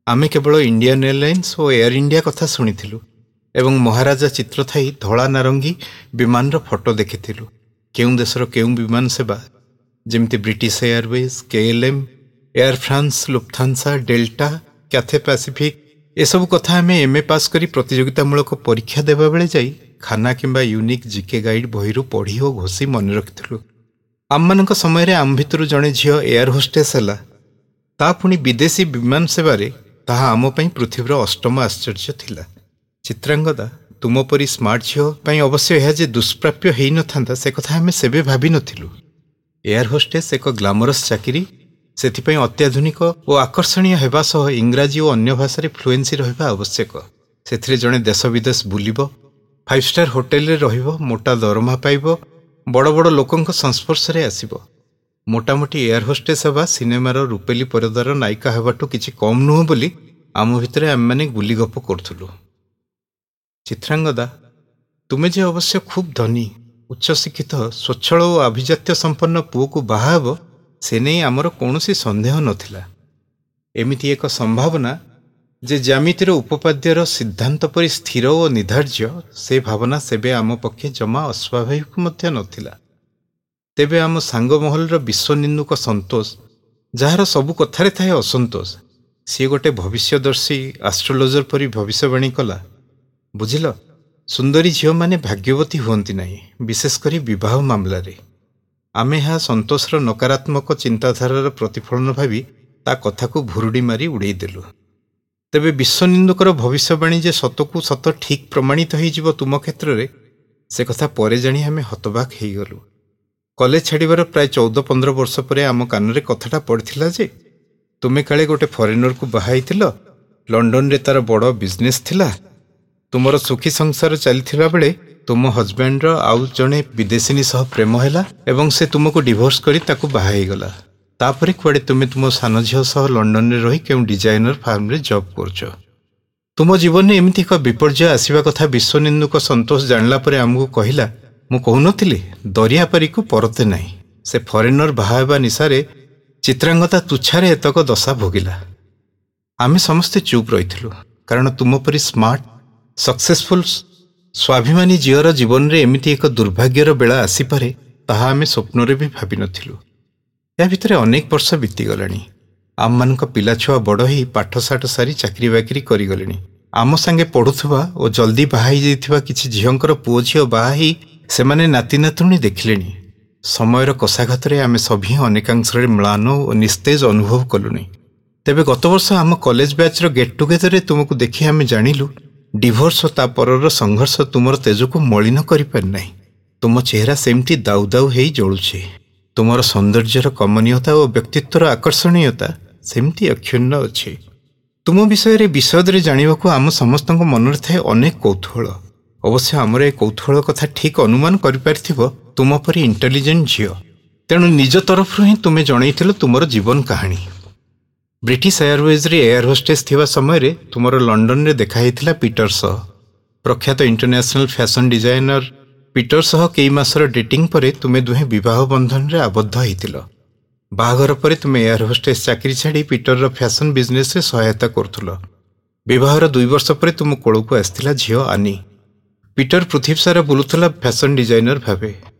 ଆମେ କେବଳ ଇଣ୍ଡିଆନ୍ ଏୟାରଲାଇନ୍ସ ଓ ଏୟାର ଇଣ୍ଡିଆ କଥା ଶୁଣିଥିଲୁ ଏବଂ ମହାରାଜା ଚିତ୍ର ଥାଇ ଧଳା ନାରଙ୍ଗୀ ବିମାନର ଫଟୋ ଦେଖିଥିଲୁ। କେଉଁ ଦେଶର କେଉଁ ବିମାନ ସେବା, ଯେମିତି British Airways, KLM, Air France, Lufthansa, Delta, Cathay Pacific, ଏସବୁ କଥା ଆମେ ଏମ୍ଏ ପାସ୍ କରି ପ୍ରତିଯୋଗିତାମୂଳକ ପରୀକ୍ଷା ଦେବାବେଳେ ଯାଇ ଖାନା କିମ୍ବା ୟୁନିକ୍ ଜିକେ ଗାଇଡ୍ ବହିରୁ ପଢ଼ି ଓ ଘୋଷି ମନେ ରଖିଥିଲୁ। ଆମମାନଙ୍କ ସମୟରେ ଆମ ଭିତରୁ ଜଣେ ଝିଅ ଏୟାର ହୋଷ୍ଟେସ୍ ହେଲା, ତା ପୁଣି ବିଦେଶୀ ବିମାନ ସେବାରେ, ତାହା ଆମ ପାଇଁ ପୃଥିବୀର ଅଷ୍ଟମ ଆଶ୍ଚର୍ଯ୍ୟ ଥିଲା। ଚିତ୍ରାଙ୍ଗଦା, ତୁମ ପରି ସ୍ମାର୍ଟ ଝିଅ ପାଇଁ ଅବଶ୍ୟ ଏହା ଯେ ଦୁଷ୍ପ୍ରାପ୍ୟ ହେଇନଥାନ୍ତା ସେ କଥା ଆମେ ସେବେ ଭାବିନଥିଲୁ। ଏୟାର ହୋଷ୍ଟେସ୍ ଏକ ଗ୍ଲାମରସ୍ ଚାକିରି, ସେଥିପାଇଁ ଅତ୍ୟାଧୁନିକ ଓ ଆକର୍ଷଣୀୟ ହେବା ସହ ଇଂରାଜୀ ଓ ଅନ୍ୟ ଭାଷାରେ ଫ୍ଲୁଏନ୍ସି ରହିବା ଆବଶ୍ୟକ। ସେଥିରେ ଜଣେ ଦେଶ ବିଦେଶ ବୁଲିବ, 5 ଷ୍ଟାର ହୋଟେଲରେ ରହିବ, ମୋଟା ଦରମା ପାଇବ, ବଡ଼ ବଡ଼ ଲୋକଙ୍କ ସଂସ୍ପର୍ଶରେ ଆସିବ। ମୋଟାମୋଟି ଏୟାର ହୋଷ୍ଟେସ୍ ହେବା ସିନେମାର ରୂପେଲି ପରଦାର ନାୟିକା ହେବାଠୁ କିଛି କମ୍ ନୁହଁ ବୋଲି ଆମ ଭିତରେ ଆମେମାନେ ଗୁଲିଗପ କରୁଥିଲୁ। ଚିତ୍ରାଙ୍ଗଦା, ତୁମେ ଯେ ଅବଶ୍ୟ ଖୁବ୍ ଧନୀ, ଉଚ୍ଚଶିକ୍ଷିତ, ସ୍ୱଚ୍ଛଳ ଓ ଆଭିଜାତ୍ୟ ସମ୍ପନ୍ନ ପୁଅକୁ ବାହା ହେବ ସେ ନେଇ ଆମର କୌଣସି ସନ୍ଦେହ ନଥିଲା। ଏମିତି ଏକ ସମ୍ଭାବନା ଯେ ଜ୍ୟାମିତିର ଉପପାଦ୍ୟର ସିଦ୍ଧାନ୍ତ ପରି ସ୍ଥିର ଓ ନିର୍ଦ୍ଧାର୍ଯ୍ୟ, ସେ ଭାବନା ସେବେ ଆମ ପକ୍ଷେ ଜମା ଅସ୍ୱାଭାବିକ ମଧ୍ୟ ନଥିଲା। ତେବେ ଆମ ସାଙ୍ଗ ମହଲର ବିଶ୍ୱନିନ୍ଦୁକ ସନ୍ତୋଷ, ଯାହାର ସବୁ କଥାରେ ଥାଏ ଅସନ୍ତୋଷ, ସିଏ ଗୋଟେ ଭବିଷ୍ୟଦର୍ଶୀ ଆଷ୍ଟ୍ରୋଲୋଜର ପରି ଭବିଷ୍ୟବାଣୀ କଲା, ବୁଝିଲ, ସୁନ୍ଦରୀ ଝିଅମାନେ ଭାଗ୍ୟବତୀ ହୁଅନ୍ତି ନାହିଁ, ବିଶେଷ କରି ବିବାହ ମାମଲାରେ। ଆମେ ଏହା ସନ୍ତୋଷର ନକାରାତ୍ମକ ଚିନ୍ତାଧାରାର ପ୍ରତିଫଳନ ଭାବି ତା କଥାକୁ ଭୁରୁଡ଼ି ମାରି ଉଡ଼େଇଦେଲୁ। ତେବେ ବିଶ୍ୱନିନ୍ଦୁକର ଭବିଷ୍ୟବାଣୀ ଯେ ସତକୁ ସତ ଠିକ୍ ପ୍ରମାଣିତ ହେଇଯିବ ତୁମ କ୍ଷେତ୍ରରେ, ସେ କଥା ପରେ ଜାଣି ଆମେ ହତବାକ ହେଇଗଲୁ। କଲେଜ ଛାଡ଼ିବାର ପ୍ରାୟ 14-15 ବର୍ଷ ପରେ ଆମ କାନରେ କଥାଟା ପଡ଼ିଥିଲା ଯେ ତୁମେ କାଳେ ଗୋଟେ ଫରେନରକୁ ବାହା ହେଇଥିଲ, ଲଣ୍ଡନରେ ତାର ବଡ଼ ବିଜନେସ୍ ଥିଲା, ତୁମର ସୁଖୀ ସଂସାର ଚାଲିଥିବା ବେଳେ ତୁମ ହଜବ୍ୟାଣ୍ଡର ଆଉ ଜଣେ ବିଦେଶିନୀ ସହ ପ୍ରେମ ହେଲା ଏବଂ ସେ ତୁମକୁ ଡିଭୋର୍ସ କରି ତାକୁ ବାହା ହେଇଗଲା। ତାପରେ କୁଆଡ଼େ ତୁମେ ତୁମ ସାନ ଝିଅ ସହ ଲଣ୍ଡନରେ ରହି କେଉଁ ଡିଜାଇନର ଫାର୍ମରେ ଜବ୍ କରୁଛ। ତୁମ ଜୀବନରେ ଏମିତି ଏକ ବିପର୍ଯ୍ୟୟ ଆସିବା କଥା ବିଶ୍ୱନିନ୍ଦୁକ ସନ୍ତୋଷ ଜାଣିଲା ପରେ ଆମକୁ କହିଲା, ମୁଁ କହୁନଥିଲି ଦରିଆପାରିକୁ ପରତେ ନାହିଁ। ସେ ଫରେନର ବାହା ହେବା ନିଶାରେ ଚିତ୍ରାଙ୍ଗଦା ତୁଚ୍ଛାରେ ଏତକ ଦଶା ଭୋଗିଲା। ଆମେ ସମସ୍ତେ ଚୁପ୍ ରହିଥିଲୁ, କାରଣ ତୁମ ପରି ସ୍ମାର୍ଟ, ସକ୍ସେସଫୁଲ୍, ସ୍ୱାଭିମାନୀ ଝିଅର ଜୀବନରେ ଏମିତି ଏକ ଦୁର୍ଭାଗ୍ୟର ବେଳା ଆସିପାରେ ତାହା ଆମେ ସ୍ୱପ୍ନରେ ବି ଭାବିନଥିଲୁ। ଏହା ଭିତରେ ଅନେକ ବର୍ଷ ବିତିଗଲାଣି। ଆମମାନଙ୍କ ପିଲାଛୁଆ ବଡ଼ ହେଇ ପାଠଶାଠ ସାରି ଚାକିରି ବାକିରି କରିଗଲେଣି। ଆମ ସାଙ୍ଗେ ପଢ଼ୁଥିବା ଓ ଜଲ୍ଦି ବାହା ହେଇଯାଇଥିବା କିଛି ଝିଅଙ୍କର ପୁଅ ଝିଅ ବାହା ହେଇ ସେମାନେ ନାତି ନାତୁଣୀ ଦେଖିଲେଣି। ସମୟର କଷାଘାତରେ ଆମେ ସଭିଏଁ ଅନେକାଂଶରେ ମ୍ଳାନ ଓ ନିସ୍ତେଜ ଅନୁଭବ କଲୁଣି। ତେବେ ଗତବର୍ଷ ଆମ କଲେଜ ବ୍ୟାଚ୍ର ଗେଟ୍ ଟୁଗେଦରରେ ତୁମକୁ ଦେଖି ଆମେ ଜାଣିଲୁ ଡିଭୋର୍ସ ଓ ତା ପରର ସଂଘର୍ଷ ତୁମର ତେଜକୁ ମଳିନ କରିପାରିନାହିଁ। ତୁମ ଚେହେରା ସେମିତି ଦାଉ ଦାଉ ହେଇ ଜଳୁଛି। ତୁମର ସୌନ୍ଦର୍ଯ୍ୟର କମନୀୟତା ଓ ବ୍ୟକ୍ତିତ୍ୱର ଆକର୍ଷଣୀୟତା ସେମିତି ଅକ୍ଷୁଣ୍ଣ ଅଛି। ତୁମ ବିଷୟରେ ବିଶଦରେ ଜାଣିବାକୁ ଆମ ସମସ୍ତଙ୍କ ମନରେ ଥାଏ ଅନେକ କୌତୂହଳ। ଅବଶ୍ୟ ଆମର ଏ କୌତୂହଳ କଥା ଠିକ୍ ଅନୁମାନ କରିପାରିଥିବ ତୁମ ପରି ଇଣ୍ଟେଲିଜେଣ୍ଟ ଝିଅ। ତେଣୁ ନିଜ ତରଫରୁ ହିଁ ତୁମେ ଜଣେଇଥିଲ ତୁମର ଜୀବନ କାହାଣୀ। ବ୍ରିଟିଶ ଏୟାରୱେଜ୍ରେ ଏୟାର ହୋଷ୍ଟେସ୍ ଥିବା ସମୟରେ ତୁମର ଲଣ୍ଡନରେ ଦେଖା ହେଇଥିଲା ପିଟର ସହ। ପ୍ରଖ୍ୟାତ ଇଣ୍ଟରନ୍ୟାସନାଲ ଫ୍ୟାସନ୍ ଡିଜାଇନର ପିଟର ସହ କେଇ ମାସର ଡେଟିଂ ପରେ ତୁମେ ଦୁହେଁ ବିବାହ ବନ୍ଧନରେ ଆବଦ୍ଧ ହେଇଥିଲ। ବାହାଘର ପରେ ତୁମେ ଏୟାର ହୋଷ୍ଟେସ୍ ଚାକିରି ଛାଡ଼ି ପିଟରର ଫ୍ୟାସନ୍ ବିଜନେସ୍ରେ ସହାୟତା କରୁଥିଲ। ବିବାହର 2 ବର୍ଷ ପରେ ତୁମ କୋଳକୁ ଆସିଥିଲା ଝିଅ ଆନି। ପିଟର ପୃଥିବୀ ସାରା ବୁଲୁଥିଲା ଫ୍ୟାସନ୍ ଡିଜାଇନର ଭାବେ।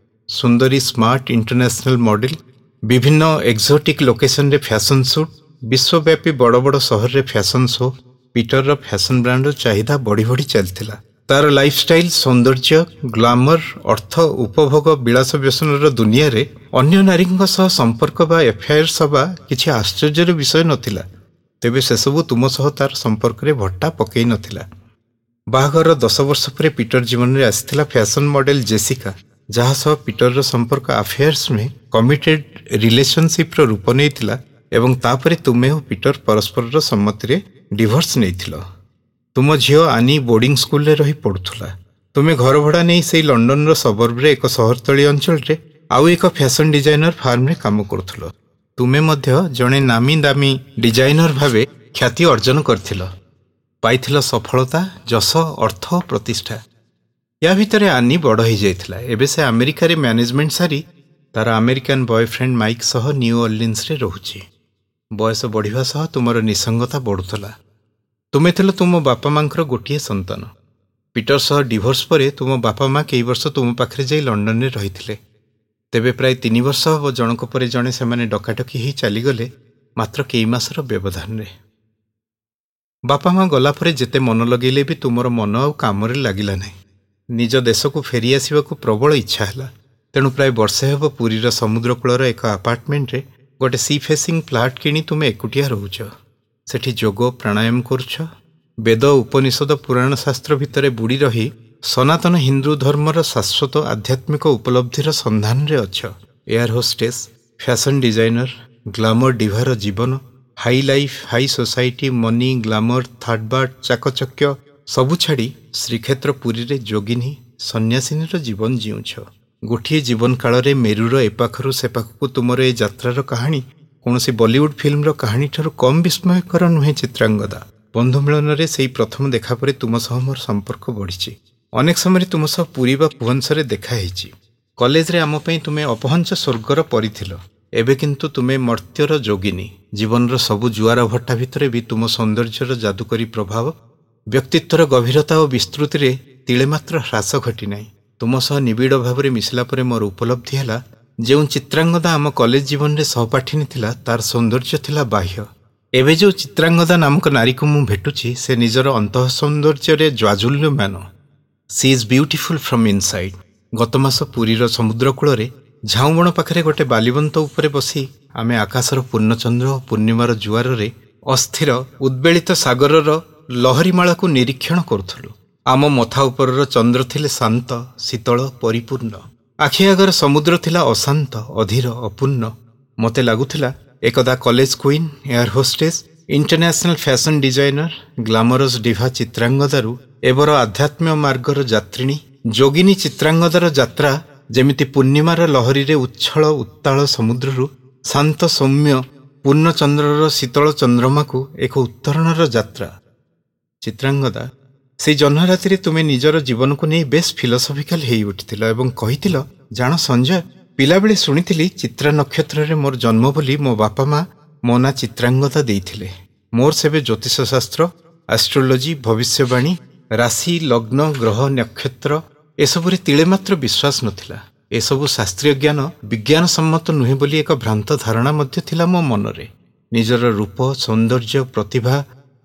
ସୁନ୍ଦରୀ, ସ୍ମାର୍ଟ, ଇଣ୍ଟରନ୍ୟାସନାଲ ମଡେଲ, ବିଭିନ୍ନ ଏକ୍ସୋଟିକ୍ ଲୋକେସନରେ ଫ୍ୟାସନ୍ ସୁଟ୍, ବିଶ୍ୱବ୍ୟାପୀ ବଡ଼ ବଡ଼ ସହରରେ ଫ୍ୟାସନ୍ ଶୋ। ପିଟରର ଫ୍ୟାସନ୍ ବ୍ରାଣ୍ଡର ଚାହିଦା ବଢ଼ି ବଢ଼ି ଚାଲିଥିଲା। ତାର ଲାଇଫଷ୍ଟାଇଲ, ସୌନ୍ଦର୍ଯ୍ୟ, ଗ୍ଲାମର, ଅର୍ଥ, ଉପଭୋଗ, ବିଳାସ ବ୍ୟସନର ଦୁନିଆରେ ଅନ୍ୟ ନାରୀଙ୍କ ସହ ସମ୍ପର୍କ ବା ଏଫଆଇଆର୍ସ ହେବା କିଛି ଆଶ୍ଚର୍ଯ୍ୟର ବିଷୟ ନଥିଲା। ତେବେ ସେସବୁ ତୁମ ସହ ତାର ସମ୍ପର୍କରେ ଭଟ୍ଟା ପକେଇ ନଥିଲା। ବାହାଘରର 10 ବର୍ଷ ପରେ ପିଟର ଜୀବନରେ ଆସିଥିଲା ଫ୍ୟାସନ୍ ମଡେଲ ଜେସିକା, ଯାହା ସହ ପିଟରର ସମ୍ପର୍କ ଆଫେୟାର୍ସ ନୁହେଁ, କମିଟେଡ୍ ରିଲେସନସିପ୍ର ରୂପ ନେଇଥିଲା ଏବଂ ତାପରେ ତୁମେ ଓ ପିଟର ପରସ୍ପରର ସମ୍ମତିରେ ଡିଭୋର୍ସ ନେଇଥିଲ। ତୁମ ଝିଅ ଆନି ବୋର୍ଡିଂ ସ୍କୁଲରେ ରହି ପଢ଼ୁଥିଲା। ତୁମେ ଘର ଭଡ଼ା ନେଇ ସେଇ ଲଣ୍ଡନର ସବର୍ବରେ ଏକ ସହରତଳି ଅଞ୍ଚଳରେ ଆଉ ଏକ ଫ୍ୟାସନ୍ ଡିଜାଇନର ଫାର୍ମରେ କାମ କରୁଥିଲ। ତୁମେ ମଧ୍ୟ ଜଣେ ନାମୀ ଦାମୀ ଡିଜାଇନର ଭାବେ ଖ୍ୟାତି ଅର୍ଜନ କରିଥିଲ। ପାଇଥିଲ ସଫଳତା, ଯଶ, ଅର୍ଥ, ପ୍ରତିଷ୍ଠା। ୟା ଭିତରେ ଆନି ବଡ଼ ହେଇଯାଇଥିଲା। ଏବେ ସେ ଆମେରିକାରେ ମ୍ୟାନେଜମେଣ୍ଟ ସାରି ତାର ଆମେରିକାନ ବୟଫ୍ରେଣ୍ଡ ମାଇକ୍ ସହ ନ୍ୟୁ ଅର୍ଲିନ୍ସରେ ରହୁଛି। ବୟସ ବଢ଼ିବା ସହ ତୁମର ନିସଙ୍ଗତା ବଢ଼ୁଥିଲା। ତୁମେ ଥିଲ ତୁମ ବାପା ମାଙ୍କର ଗୋଟିଏ ସନ୍ତାନ। ପିଟର ସହ ଡିଭୋର୍ସ ପରେ ତୁମ ବାପା ମା କେଇ ବର୍ଷ ତୁମ ପାଖରେ ଯାଇ ଲଣ୍ଡନରେ ରହିଥିଲେ। ତେବେ ପ୍ରାୟ 3 ବର୍ଷ ହେବ ଜଣକ ପରେ ଜଣେ ସେମାନେ ଡକାଡକି ହେଇ ଚାଲିଗଲେ, ମାତ୍ର କେଇ ମାସର ବ୍ୟବଧାନରେ। ବାପା ମା ଗଲା ପରେ ଯେତେ ମନ ଲଗେଇଲେ ବି ତୁମର ମନ ଆଉ କାମରେ ଲାଗିଲା ନାହିଁ। ନିଜ ଦେଶକୁ ଫେରିଆସିବାକୁ ପ୍ରବଳ ଇଚ୍ଛା ହେଲା। ତେଣୁ ପ୍ରାୟ ବର୍ଷେ ହେବ ପୁରୀର ସମୁଦ୍ରକୂଳର ଏକ ଆପାର୍ଟମେଣ୍ଟରେ ଗୋଟେ ସି ଫେସିଂ ଫ୍ଲାଟ୍ କିଣି ତୁମେ ଏକୁଟିଆ ରହୁଛ। ସେଠି ଯୋଗ ପ୍ରାଣାୟାମ କରୁଛ। ବେଦ, ଉପନିଷଦ, ପୁରାଣ ଶାସ୍ତ୍ର ଭିତରେ ବୁଡ଼ି ରହି ସନାତନ ହିନ୍ଦୁ ଧର୍ମର ଶାଶ୍ୱତ ଆଧ୍ୟାତ୍ମିକ ଉପଲବ୍ଧିର ସନ୍ଧାନରେ ଅଛ। Air hostess, fashion designer, glamour ଡିଭାର ଜୀବନ, high life, high society, money, glamour, third birth, ଚାକଚକ୍ୟ ସବୁ ଛାଡ଼ି ଶ୍ରୀକ୍ଷେତ୍ର ପୁରୀରେ ଯୋଗିନୀ ସନ୍ନ୍ୟାସିନୀର ଜୀବନ ଜିଉଁଛ। ଗୋଟିଏ ଜୀବନ କାଳରେ ମେରୁର ଏପାଖରୁ ସେପାଖକୁ ତୁମର ଏ ଯାତ୍ରାର କାହାଣୀ କୌଣସି ବଲିଉଡ୍ ଫିଲ୍ମର କାହାଣୀଠାରୁ କମ୍ ବିସ୍ମୟକର ନୁହେଁ ଚିତ୍ରାଙ୍ଗଦା। ବନ୍ଧୁ ମିଳନରେ ସେଇ ପ୍ରଥମ ଦେଖା ପରେ ତୁମ ସହ ମୋର ସମ୍ପର୍କ ବଢ଼ିଛି। ଅନେକ ସମୟରେ ତୁମ ସହ ପୁରୀ ବା ଭୁବନେଶ୍ୱରରେ ଦେଖା ହେଇଛି। କଲେଜରେ ଆମ ପାଇଁ ତୁମେ ଅପହଞ୍ଚ ସ୍ୱର୍ଗର ପରି ଥିଲ। ଏବେ କିନ୍ତୁ ତୁମେ ମର୍ତ୍ତ୍ୟର ଯୋଗିନୀ। ଜୀବନର ସବୁ ଜୁଆର ଭଟ୍ଟା ଭିତରେ ବି ତୁମ ସୌନ୍ଦର୍ଯ୍ୟର ଯାଦୁକରୀ ପ୍ରଭାବ, ବ୍ୟକ୍ତିତ୍ୱର ଗଭୀରତା ଓ ବିସ୍ତୃତିରେ ତିଳେ ମାତ୍ର ହ୍ରାସ ଘଟିନାହିଁ। ତୁମ ସହ ନିବିଡ଼ ଭାବରେ ମିଶିଲା ପରେ ମୋର ଉପଲବ୍ଧି ହେଲା, ଯେଉଁ ଚିତ୍ରାଙ୍ଗଦା ଆମ କଲେଜ ଜୀବନରେ ସହପାଠିନୀ ଥିଲା, ତାର ସୌନ୍ଦର୍ଯ୍ୟ ଥିଲା ବାହ୍ୟ। ଏବେ ଯେଉଁ ଚିତ୍ରାଙ୍ଗଦା ନାମକ ନାରୀକୁ ମୁଁ ଭେଟୁଛି, ସେ ନିଜର ଅନ୍ତଃ ସୌନ୍ଦର୍ଯ୍ୟରେ ଜାଜ୍ୱଲ୍ୟମାନ। She is beautiful from inside. ଗତ ମାସ ପୁରୀର ସମୁଦ୍ରକୂଳରେ ଝାଉଁବଣ ପାଖରେ ଗୋଟେ ବାଲିବନ୍ତ ଉପରେ ବସି ଆମେ ଆକାଶର ପୂର୍ଣ୍ଣଚନ୍ଦ୍ର ଓ ପୂର୍ଣ୍ଣିମାର ଜୁଆରରେ ଅସ୍ଥିର ଉଦ୍ବେଳିତ ସାଗରର ଲହରୀମାଳାକୁ ନିରୀକ୍ଷଣ କରୁଥିଲୁ। ଆମ ମଥା ଉପରର ଚନ୍ଦ୍ର ଥିଲେ ଶାନ୍ତ, ଶୀତଳ, ପରିପୂର୍ଣ୍ଣ। ଆଖି ଆଗର ସମୁଦ୍ର ଥିଲା ଅଶାନ୍ତ, ଅଧୀର, ଅପୂର୍ଣ୍ଣ। ମୋତେ ଲାଗୁଥିଲା ଏକଦା college queen, air hostess International fashion designer, glamorous diva ଚିତ୍ରାଙ୍ଗଦାରୁ ଏବର ଆଧ୍ୟାତ୍ମ୍ୟ ମାର୍ଗର ଯାତ୍ରିଣୀ ଯୋଗିନୀ ଚିତ୍ରାଙ୍ଗଦାର ଯାତ୍ରା ଯେମିତି ପୂର୍ଣ୍ଣିମାର ଲହରୀରେ ଉଚ୍ଛଳ ଉତ୍ତାଳ ସମୁଦ୍ରରୁ ଶାନ୍ତ ସୌମ୍ୟ ପୂର୍ଣ୍ଣଚନ୍ଦ୍ରର ଶୀତଳ ଚନ୍ଦ୍ରମାକୁ ଏକ ଉତ୍ତରଣର ଯାତ୍ରା। ଚିତ୍ରାଙ୍ଗଦା, ସେଇ ଜହ୍ନରାତିରେ ତୁମେ ନିଜର ଜୀବନକୁ ନେଇ ବେଶ୍ ଫିଲୋସଫିକାଲ ହେଇ ଉଠିଥିଲ ଏବଂ କହିଥିଲ, ଜାଣ ସଞ୍ଜୟ, ପିଲାବେଳେ ଶୁଣିଥିଲି ଚିତ୍ରା ନକ୍ଷତ୍ରରେ ମୋର ଜନ୍ମ ବୋଲି ମୋ ବାପା ମା ମୋ ନାଁ ଚିତ୍ରାଙ୍ଗଦା ଦେଇଥିଲେ। ମୋର ସେବେ ଜ୍ୟୋତିଷଶାସ୍ତ୍ର, ଆଷ୍ଟ୍ରୋଲୋଜି, ଭବିଷ୍ୟବାଣୀ, ରାଶି, ଲଗ୍ନ, ଗ୍ରହ, ନକ୍ଷତ୍ର ଏସବୁରେ ତିଳେ ମାତ୍ର ବିଶ୍ୱାସ ନଥିଲା। ଏସବୁ ଶାସ୍ତ୍ରୀୟ ଜ୍ଞାନ ବିଜ୍ଞାନ ସମ୍ମତ ନୁହେଁ ବୋଲି ଏକ ଭ୍ରାନ୍ତ ଧାରଣା ମଧ୍ୟ ଥିଲା ମୋ ମନରେ। ନିଜର ରୂପ, ସୌନ୍ଦର୍ଯ୍ୟ, ପ୍ରତିଭା,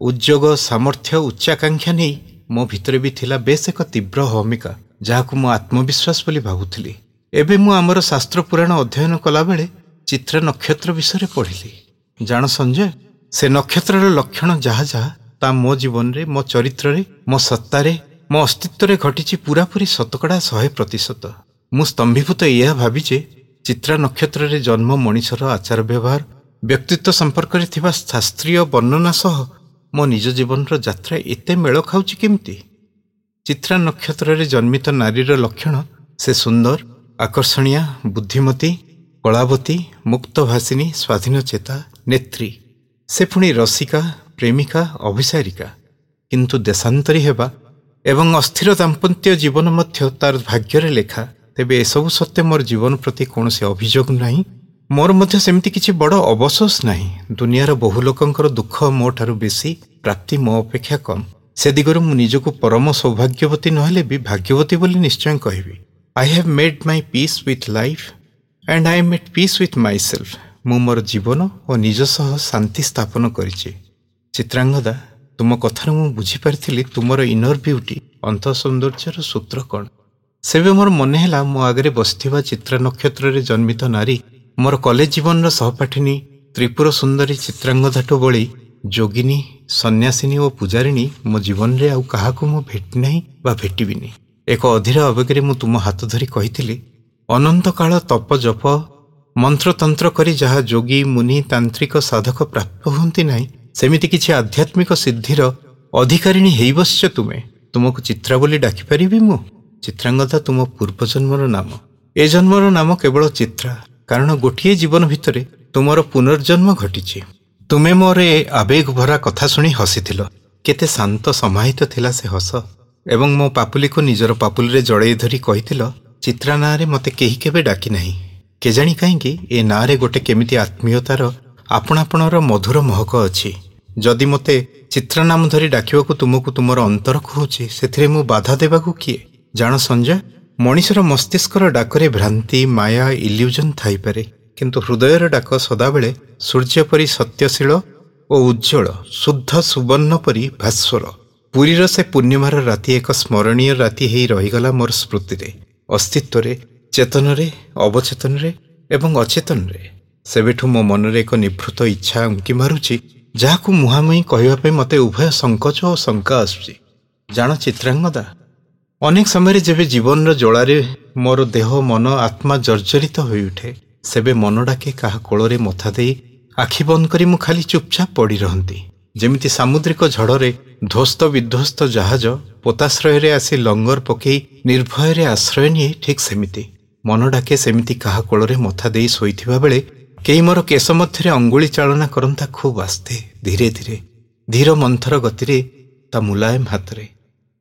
ଉଦ୍ଯୋଗ, ସାମର୍ଥ୍ୟ, ଉଚ୍ଚାକାଂକ୍ଷା ନେଇ ମୋ ଭିତରେ ବି ଥିଲା ବେଶ ଏକ ତୀବ୍ର ଭୂମିକା, ଯାହାକୁ ମୁଁ ଆତ୍ମବିଶ୍ୱାସ ବୋଲି ଭାବୁଥିଲି। ଏବେ ମୁଁ ଆମର ଶାସ୍ତ୍ର ପୁରାଣ ଅଧ୍ୟୟନ କଲାବେଳେ ଚିତ୍ରା ନକ୍ଷତ୍ର ବିଷୟରେ ପଢ଼ିଲି। ଜାଣ ସଞ୍ଜୟ, ସେ ନକ୍ଷତ୍ରର ଲକ୍ଷଣ ଯାହା ଯାହା ତା ମୋ ଜୀବନରେ, ମୋ ଚରିତ୍ରରେ, ମୋ ସତ୍ତାରେ, ମୋ ଅସ୍ତିତ୍ୱରେ ଘଟିଛି ପୁରାପୁରି 100%। ମୁଁ ସ୍ତମ୍ଭୀଭୂତ ଏହା ଭାବି ଯେ ଚିତ୍ରା ନକ୍ଷତ୍ରରେ ଜନ୍ମ ମଣିଷର ଆଚାର ବ୍ୟବହାର, ବ୍ୟକ୍ତିତ୍ୱ ସମ୍ପର୍କରେ ଥିବା ଶାସ୍ତ୍ରୀୟ ବର୍ଣ୍ଣନା ସହ ମୋ ନିଜ ଜୀବନର ଯାତ୍ରା ଏତେ ମେଳ ଖାଉଛି କେମିତି? ଚିତ୍ରା ନକ୍ଷତ୍ରରେ ଜନ୍ମିତ ନାରୀର ଲକ୍ଷଣ, ସେ ସୁନ୍ଦର, ଆକର୍ଷଣୀୟା, ବୁଦ୍ଧିମତୀ, କଳାବତୀ, ମୁକ୍ତଭାସିନୀ, ସ୍ୱାଧୀନଚେତା, ନେତ୍ରୀ। ସେ ପୁଣି ରସିକା, ପ୍ରେମିକା, ଅଭିସାରିକା। କିନ୍ତୁ ଦେଶାନ୍ତରୀ ହେବା ଏବଂ ଅସ୍ଥିର ଦାମ୍ପତ୍ୟ ଜୀବନ ମଧ୍ୟ ତାର ଭାଗ୍ୟରେ ଲେଖା। ତେବେ ଏସବୁ ସତ୍ତ୍ୱେ ମୋର ଜୀବନ ପ୍ରତି କୌଣସି ଅଭିଯୋଗ ନାହିଁ। ମୋର ମଧ୍ୟ ସେମିତି କିଛି ବଡ଼ ଅବସୋସ ନାହିଁ। ଦୁନିଆର ବହୁ ଲୋକଙ୍କର ଦୁଃଖ ମୋ ଠାରୁ ବେଶୀ, ପ୍ରାପ୍ତି ମୋ ଅପେକ୍ଷା କମ୍। ସେ ଦିଗରୁ ମୁଁ ନିଜକୁ ପରମ ସୌଭାଗ୍ୟବତୀ ନହେଲେ ବି ଭାଗ୍ୟବତୀ ବୋଲି ନିଶ୍ଚୟ କହିବି। I have made my peace with life and I am at peace with myself. ମୁଁ ମୋର ଜୀବନ ଓ ନିଜ ସହ ଶାନ୍ତି ସ୍ଥାପନ କରିଛି। ଚିତ୍ରାଙ୍ଗଦା, ତୁମ କଥାରୁ ମୁଁ ବୁଝିପାରିଥିଲି ତୁମର ଇନର ବିୟୁଟି, ଅନ୍ତଃ ସୌନ୍ଦର୍ଯ୍ୟର ସୂତ୍ର କ'ଣ। ସେବେ ମୋର ମନେ ହେଲା ମୋ ଆଗରେ ବସିଥିବା ଚିତ୍ରା ନକ୍ଷତ୍ରରେ ଜନ୍ମିତ ନାରୀ ମୋର କଲେଜ ଜୀବନର ସହପାଠିନୀ ତ୍ରିପୁର ସୁନ୍ଦରୀ ଚିତ୍ରାଙ୍ଗଦାଠୁ ବଳି ଯୋଗିନୀ, ସନ୍ନ୍ୟାସିନୀ ଓ ପୂଜାରିଣୀ ମୋ ଜୀବନରେ ଆଉ କାହାକୁ ମୁଁ ଭେଟି ନାହିଁ ବା ଭେଟିବିନି। ଏକ ଅଧୀର ଆବେଗରେ ମୁଁ ତୁମ ହାତ ଧରି କହିଥିଲି, ଅନନ୍ତକାଳ ତପ ଜପ ମନ୍ତ୍ରତନ୍ତ୍ର କରି ଯାହା ଯୋଗୀ, ମୁନି, ତାନ୍ତ୍ରିକ, ସାଧକ ପ୍ରାପ୍ତ ହୁଅନ୍ତି ନାହିଁ, ସେମିତି କିଛି ଆଧ୍ୟାତ୍ମିକ ସିଦ୍ଧିର ଅଧିକାରିଣୀ ହେଇ ବସିଛ ତୁମେ। ତୁମକୁ ଚିତ୍ରା ବୋଲି ଡାକିପାରିବି ମୁଁ? ଚିତ୍ରାଙ୍ଗଦା ତୁମ ପୂର୍ବଜନ୍ମର ନାମ, ଏ ଜନ୍ମର ନାମ କେବଳ ଚିତ୍ରା, କାରଣ ଗୋଟିଏ ଜୀବନ ଭିତରେ ତୁମର ପୁନର୍ଜନ୍ମ ଘଟିଛି। ତୁମେ ମୋର ଏ ଆବେଗ ଭରା କଥା ଶୁଣି ହସିଥିଲ। କେତେ ଶାନ୍ତ ସମାହିତ ଥିଲା ସେ ହସ। ଏବଂ ମୋ ପାପୁଲିକୁ ନିଜର ପାପୁଲିରେ ଜଡ଼େଇ ଧରି କହିଥିଲ, ଚିତ୍ରା ନାଁରେ ମୋତେ କେହି କେବେ ଡାକି ନାହିଁ। କେଜାଣି କାହିଁକି ଏ ନାଁରେ ଗୋଟେ କେମିତି ଆତ୍ମୀୟତାର ଆପଣାପଣର ମଧୁର ମହକ ଅଛି। ଯଦି ମୋତେ ଚିତ୍ରା ନାମ ଧରି ଡାକିବାକୁ ତୁମକୁ ତୁମର ଅନ୍ତର କହୁଛି, ସେଥିରେ ମୁଁ ବାଧା ଦେବାକୁ କିଏ? ଜାଣ ସଞ୍ଜୟ, ମଣିଷର ମସ୍ତିଷ୍କର ଡାକରେ ଭ୍ରାନ୍ତି, ମାୟା, ଇଲ୍ୟୁଜନ୍ ଥାଇପାରେ, କିନ୍ତୁ ହୃଦୟର ଡାକ ସଦାବେଳେ ସୂର୍ଯ୍ୟ ପରି ସତ୍ୟଶୀଳ ଓ ଉଜ୍ଜ୍ୱଳ, ଶୁଦ୍ଧ ସୁବର୍ଣ୍ଣ ପରି ଭାସ୍ୱର। ପୁରୀର ସେ ପୂର୍ଣ୍ଣିମାର ରାତି ଏକ ସ୍ମରଣୀୟ ରାତି ହେଇ ରହିଗଲା ମୋର ସ୍ମୃତିରେ, ଅସ୍ତିତ୍ୱରେ, ଚେତନରେ, ଅବଚେତନରେ ଏବଂ ଅଚେତନରେ। ସେବେଠୁ ମୋ ମନରେ ଏକ ନିଭୃତ ଇଚ୍ଛା ଉଙ୍କି ମାରୁଛି, ଯାହାକୁ ମୁହାଁମୁହିଁ କହିବା ପାଇଁ ମୋତେ ଉଭୟ ସଙ୍କୋଚ ଓ ଶଙ୍କା ଆସୁଛି। ଜାଣ ଚିତ୍ରାଙ୍ଗଦା, ଅନେକ ସମୟରେ ଯେବେ ଜୀବନର ଜଳାରେ ମୋର ଦେହ, ମନ, ଆତ୍ମା ଜର୍ଜରିତ ହୋଇଉଠେ, ସେବେ ମନ ଡାକେ କାହା କୋଳରେ ମଥା ଦେଇ ଆଖି ବନ୍ଦ କରି ମୁଁ ଖାଲି ଚୁପଚାପ ପଡ଼ି ରହନ୍ତି। ଯେମିତି ସାମୁଦ୍ରିକ ଝଡ଼ରେ ଧ୍ୱସ୍ତ ବିଧ୍ୱସ୍ତ ଜାହାଜ ପୋତାଶ୍ରୟରେ ଆସି ଲଙ୍ଗର ପକେଇ ନିର୍ଭୟରେ ଆଶ୍ରୟ ନିଏ, ଠିକ୍ ସେମିତି ମନ ଡାକେ ସେମିତି କାହା କୋଳରେ ମଥା ଦେଇ ଶୋଇଥିବା ବେଳେ କେହି ମୋର କେଶ ମଧ୍ୟରେ ଅଙ୍ଗୁଳି ଚାଳନା କରନ୍ତା, ଖୁବ୍ ଆସ୍ତେ, ଧୀରେ ଧୀରେ, ଧୀର ମନ୍ଥର ଗତିରେ, ତା ମୁଲାୟମ ହାତରେ,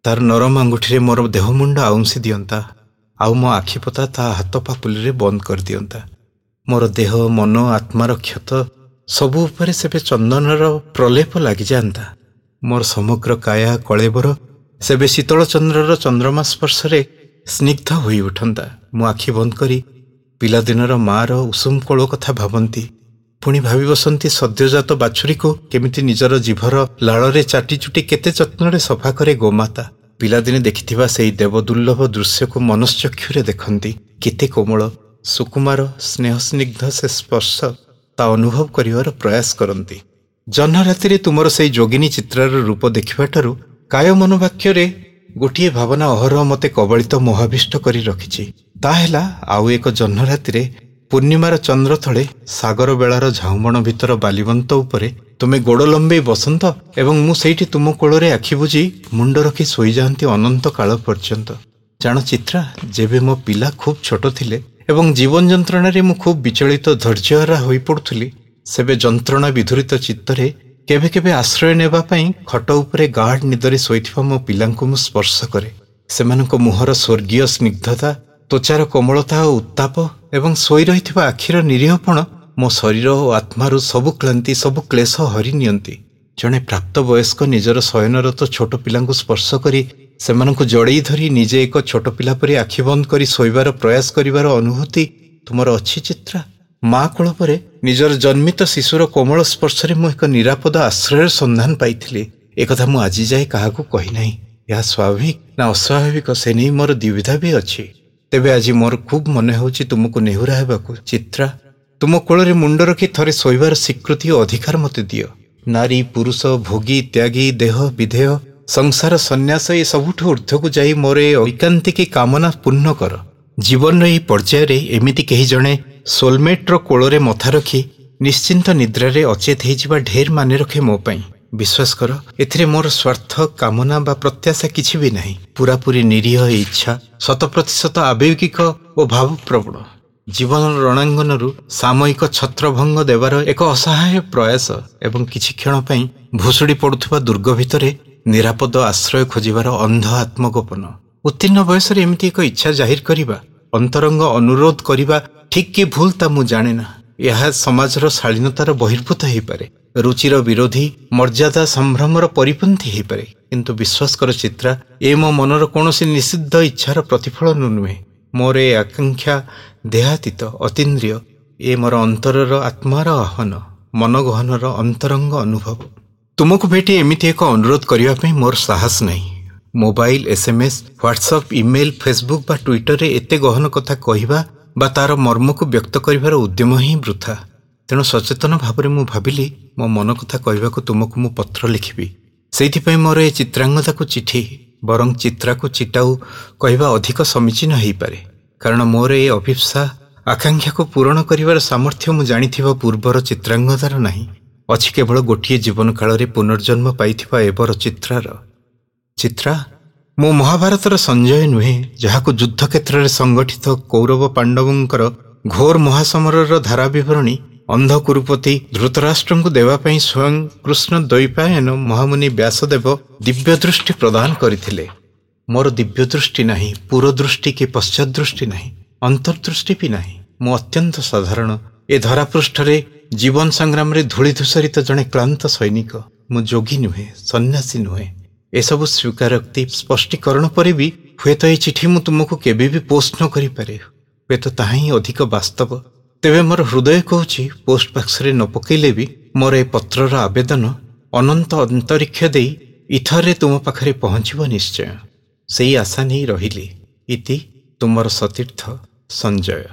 ତାର ନରମ ଆଙ୍ଗୁଠିରେ ମୋର ଦେହମୁଣ୍ଡ ଆଉଁସି ଦିଅନ୍ତା, ଆଉ ମୋ ଆଖିପତା ତା ହାତ ପାପୁଲିରେ ବନ୍ଦ କରିଦିଅନ୍ତା। ମୋର ଦେହ, ମନ, ଆତ୍ମାର କ୍ଷତ ସବୁ ଉପରେ ସେବେ ଚନ୍ଦନର ପ୍ରଲେପ ଲାଗିଯାଆନ୍ତା। ମୋର ସମଗ୍ର କାୟା କଳେବର ସେବେ ଶୀତଳ ଚନ୍ଦ୍ରର ଚନ୍ଦ୍ରମା ସ୍ପର୍ଶରେ ସ୍ନିଗ୍ଧ ହୋଇ ଉଠନ୍ତା। ମୁଁ ଆଖି ବନ୍ଦ କରି ପିଲାଦିନର ମାଆର ଉଷୁମ କୋଳ କଥା ଭାବନ୍ତି, ପୁଣି ଭାବି ବସନ୍ତି ସଦ୍ୟଜାତ ବାଛୁରୀକୁ କେମିତି ନିଜର ଜିଭର ଲାଳରେ ଚାଟିଚୁଟି କେତେ ଯତ୍ନରେ ସଫା କରେ ଗୋମାତା। ପିଲାଦିନେ ଦେଖିଥିବା ସେଇ ଦେବଦୁର୍ଲଭ ଦୃଶ୍ୟକୁ ମନଶ୍ଚକ୍ଷୁରେ ଦେଖନ୍ତି। କେତେ କୋମଳ, ସୁକୁମାର, ସ୍ନେହସ୍ନିଗ୍ଧ ସେ ସ୍ପର୍ଶ, ତା ଅନୁଭବ କରିବାର ପ୍ରୟାସ କରନ୍ତି। ଜହ୍ନରାତିରେ ତୁମର ସେଇ ଯୋଗିନୀ ଚିତ୍ରାର ରୂପ ଦେଖିବାଠାରୁ କାୟ ମନୋବାକ୍ୟରେ ଗୋଟିଏ ଭାବନା ଅହରହ ମୋତେ କବଳିତ ମୋହାବିଷ୍ଟ କରି ରଖିଛି। ତା ହେଲା ଆଉ ଏକ ଜହ୍ନରାତିରେ ପୂର୍ଣ୍ଣିମାର ଚନ୍ଦ୍ର ତଳେ ସାଗର ବେଳାର ଝାଉଁବଣ ଭିତର ବାଲିବନ୍ତ ଉପରେ ତୁମେ ଗୋଡ଼ ଲମ୍ବେଇ ବସନ୍ତ ଏବଂ ମୁଁ ସେଇଠି ତୁମ କୋଳରେ ଆଖି ବୁଜି ମୁଣ୍ଡ ରଖି ଶୋଇଯାଆନ୍ତି ଅନନ୍ତ କାଳ ପର୍ଯ୍ୟନ୍ତ। ଜାଣ ଚିତ୍ରା, ଯେବେ ମୋ ପିଲା ଖୁବ୍ ଛୋଟ ଥିଲେ ଏବଂ ଜୀବନ ଯନ୍ତ୍ରଣାରେ ମୁଁ ଖୁବ୍ ବିଚଳିତ, ଧୈର୍ଯ୍ୟହରା ହୋଇପଡ଼ୁଥିଲି, ସେବେ ଯନ୍ତ୍ରଣା ବିଧୁରିତ ଚିତ୍ତରେ କେବେ କେବେ ଆଶ୍ରୟ ନେବା ପାଇଁ ଖଟ ଉପରେ ଗାଢ଼ ନିଦରେ ଶୋଇଥିବା ମୋ ପିଲାଙ୍କୁ ମୁଁ ସ୍ପର୍ଶ କରେ। ସେମାନଙ୍କ ମୁହଁର ସ୍ୱର୍ଗୀୟ ସ୍ନିଗ୍ଧତା, ତ୍ୱଚାର କୋମଳତା ଓ ଉତ୍ତାପ ଏବଂ ଶୋଇ ରହିଥିବା ଆଖିର ନିରୀହପଣ ମୋ ଶରୀର ଓ ଆତ୍ମାରୁ ସବୁ କ୍ଳାନ୍ତି, ସବୁ କ୍ଲେଶ ହରି ନିଅନ୍ତି। ଜଣେ ପ୍ରାପ୍ତବୟସ୍କ ନିଜର ଶୟନରତ ଛୋଟ ପିଲାଙ୍କୁ ସ୍ପର୍ଶ କରି ସେମାନଙ୍କୁ ଜଡ଼େଇ ଧରି ନିଜେ ଏକ ଛୋଟ ପିଲା ପରି ଆଖି ବନ୍ଦ କରି ଶୋଇବାର ପ୍ରୟାସ କରିବାର ଅନୁଭୂତି ତୁମର ଅଛି ଚିତ୍ରା? ମା କୋଳ ପରେ ନିଜର ଜନ୍ମିତ ଶିଶୁର କୋମଳ ସ୍ପର୍ଶରେ ମୁଁ ଏକ ନିରାପଦ ଆଶ୍ରୟର ସନ୍ଧାନ ପାଇଥିଲି। ଏକଥା ମୁଁ ଆଜି ଯାଏ କାହାକୁ କହିନାହିଁ। ଏହା ସ୍ୱାଭାବିକ ନା ଅସ୍ୱାଭାବିକ ସେ ନେଇ ମୋର ଦ୍ୱିବିଧା ବି ଅଛି। ତେବେ ଆଜି ମୋର ଖୁବ୍ ମନେ ହେଉଛି ତୁମକୁ ନେହୁରା ହେବାକୁ। ଚିତ୍ରା, ତୁମ କୋଳରେ ମୁଣ୍ଡ ରଖି ଥରେ ଶୋଇବାର ସ୍ୱୀକୃତି ଓ ଅଧିକାର ମୋତେ ଦିଅ। ନାରୀ, ପୁରୁଷ, ଭୋଗୀ, ତ୍ୟାଗୀ, ଦେହ, ବିଧେୟ, ସଂସାର, ସନ୍ନ୍ୟାସ ଏ ସବୁଠୁ ଊର୍ଦ୍ଧ୍ୱକୁ ଯାଇ ମୋର ଏ ଐକାନ୍ତିକୀ କାମନା ପୂର୍ଣ୍ଣ କର। ଜୀବନର ଏହି ପର୍ଯ୍ୟାୟରେ ଏମିତି କେହି ଜଣେ ସୋଲମେଟ୍ର କୋଳରେ ମଥା ରଖି ନିଶ୍ଚିନ୍ତ ନିଦ୍ରାରେ ଅଚେତ ହେଇଯିବା ଢେର ମାନେ ରଖେ ମୋ ପାଇଁ। ବିଶ୍ୱାସ କର, ଏଥିରେ ମୋର ସ୍ୱାର୍ଥ, କାମନା ବା ପ୍ରତ୍ୟାଶା କିଛି ବି ନାହିଁ। ପୁରାପୁରି ନିରୀହ ଇଚ୍ଛା, 100% ଆବେଗିକ ଓ ଭାବପ୍ରବଣ। ଜୀବନର ରଣାଙ୍ଗନରୁ ସାମୟିକ ଛତ୍ରଭଙ୍ଗ ଦେବାର ଏକ ଅସହାୟ ପ୍ରୟାସ ଏବଂ କିଛି କ୍ଷଣ ପାଇଁ ଭୁଷୁଡ଼ି ପଡ଼ୁଥିବା ଦୁର୍ଗ ଭିତରେ ନିରାପଦ ଆଶ୍ରୟ ଖୋଜିବାର ଅନ୍ଧ ଆତ୍ମଗୋପନ। ଉତ୍ତୀର୍ଣ୍ଣ ବୟସରେ ଏମିତି ଏକ ଇଚ୍ଛା ଜାହିର କରିବା, ଅନ୍ତରଙ୍ଗ ଅନୁରୋଧ କରିବା ଠିକ୍ କି ଭୁଲ ତା ମୁଁ ଜାଣେ ନା। ଏହା ସମାଜର ଶାଳୀନତାର ବହିର୍ଭୂତ ହେଇପାରେ, ରୁଚିର ବିରୋଧୀ, ମର୍ଯ୍ୟାଦା ସମ୍ଭ୍ରମର ପରିପନ୍ଥୀ ହେଇପାରେ। କିନ୍ତୁ ବିଶ୍ୱାସ କର ଚିତ୍ରା, ଏ ମୋ ମନର କୌଣସି ନିଷିଦ୍ଧ ଇଚ୍ଛାର ପ୍ରତିଫଳନ ନୁହେଁ। ମୋର ଏ ଆକାଂକ୍ଷା ଦେହାତୀତ, ଅତୀନ୍ଦ୍ରିୟ। ଏ ମୋର ଅନ୍ତରର ଆତ୍ମାର ଆହ୍ୱାନ, ମନଗହନର ଅନ୍ତରଙ୍ଗ ଅନୁଭବ। ତୁମକୁ ଭେଟି ଏମିତି ଏକ ଅନୁରୋଧ କରିବା ପାଇଁ ମୋର ସାହସ ନାହିଁ। Mobile, SMS, WhatsApp, email, Facebook ବା ଟ୍ୱିଟରରେ ଏତେ ଗହନ କଥା କହିବା ବା ତାର ମର୍ମକୁ ବ୍ୟକ୍ତ କରିବାର ଉଦ୍ୟମ ହିଁ ବୃଥା। ତେଣୁ ସଚେତନ ଭାବରେ ମୁଁ ଭାବିଲି ମୋ ମନ କଥା କହିବାକୁ ତୁମକୁ ମୁଁ ପତ୍ର ଲେଖିବି। ସେଇଥିପାଇଁ ମୋର ଏ ଚିତ୍ରାଙ୍ଗଦାକୁ ଚିଠି, ବରଂ ଚିତ୍ରାକୁ ଚିଟାଉ କହିବା ଅଧିକ ସମୀଚୀନ ହେଇପାରେ। କାରଣ ମୋର ଏ ଅଭୀପ୍ସା ଆକାଂକ୍ଷାକୁ ପୂରଣ କରିବାର ସାମର୍ଥ୍ୟ ମୁଁ ଜାଣିଥିବା ପୂର୍ବର ଚିତ୍ରାଙ୍ଗଦାର ନାହିଁ। ଅଛି କେବଳ ଗୋଟିଏ ଜୀବନ କାଳରେ ପୁନର୍ଜନ୍ମ ପାଇଥିବା ଏବର ଚିତ୍ରାର। ଚିତ୍ରା, ମୁଁ ମହାଭାରତର ସଞ୍ଜୟ ନୁହେଁ, ଯାହାକୁ ଯୁଦ୍ଧକ୍ଷେତ୍ରରେ ସଂଗଠିତ କୌରବ ପାଣ୍ଡବଙ୍କର ଘୋର ମହାସମରର ଧାରା ବିବରଣୀ ଅନ୍ଧ କୁରୁପତି ଧୃତରାଷ୍ଟ୍ରଙ୍କୁ ଦେବା ପାଇଁ ସ୍ୱୟଂ କୃଷ୍ଣ ଦ୍ୱୈପାୟନ ମହାମୁନି ବ୍ୟାସଦେବ ଦିବ୍ୟଦୃଷ୍ଟି ପ୍ରଦାନ କରିଥିଲେ। ମୋର ଦିବ୍ୟଦୃଷ୍ଟି ନାହିଁ, ପୁରଦୃଷ୍ଟି କି ପଶ୍ଚାଦୃଷ୍ଟି ନାହିଁ, ଅନ୍ତର୍ଦୃଷ୍ଟି ବି ନାହିଁ। ମୁଁ ଅତ୍ୟନ୍ତ ସାଧାରଣ, ଏ ଧରାପୃଷ୍ଠରେ ଜୀବନ ସଂଗ୍ରାମରେ ଧୂଳି ଧୂସରିତ ଜଣେ କ୍ଳାନ୍ତ ସୈନିକ। ମୁଁ ଯୋଗୀ ନୁହେଁ, ସନ୍ନ୍ୟାସୀ ନୁହେଁ। ଏସବୁ ସ୍ୱୀକାରୋକ୍ତି ସ୍ପଷ୍ଟୀକରଣ ପରେ ବି ହୁଏତ ଏ ଚିଠି ମୁଁ ତୁମକୁ କେବେ ବି ପୋଷ୍ଟ ନ କରିପାରେ। ହୁଏତ ତାହା ହିଁ ଅଧିକ ବାସ୍ତବ। ତେବେ ମୋର ହୃଦୟ କହୁଛି, ପୋଷ୍ଟ ବାକ୍ସରେ ନ ପକାଇଲେ ବି ମୋର ଏ ପତ୍ରର ଆବେଦନ ଅନନ୍ତ ଅନ୍ତରୀକ୍ଷ ଦେଇ ଇଥରରେ ତୁମ ପାଖରେ ପହଞ୍ଚିବ ନିଶ୍ଚୟ। ସେଇ ଆଶା ନେଇ ରହିଲି। ଇତି ତୁମର ସତୀର୍ଥ ସଞ୍ଜୟ।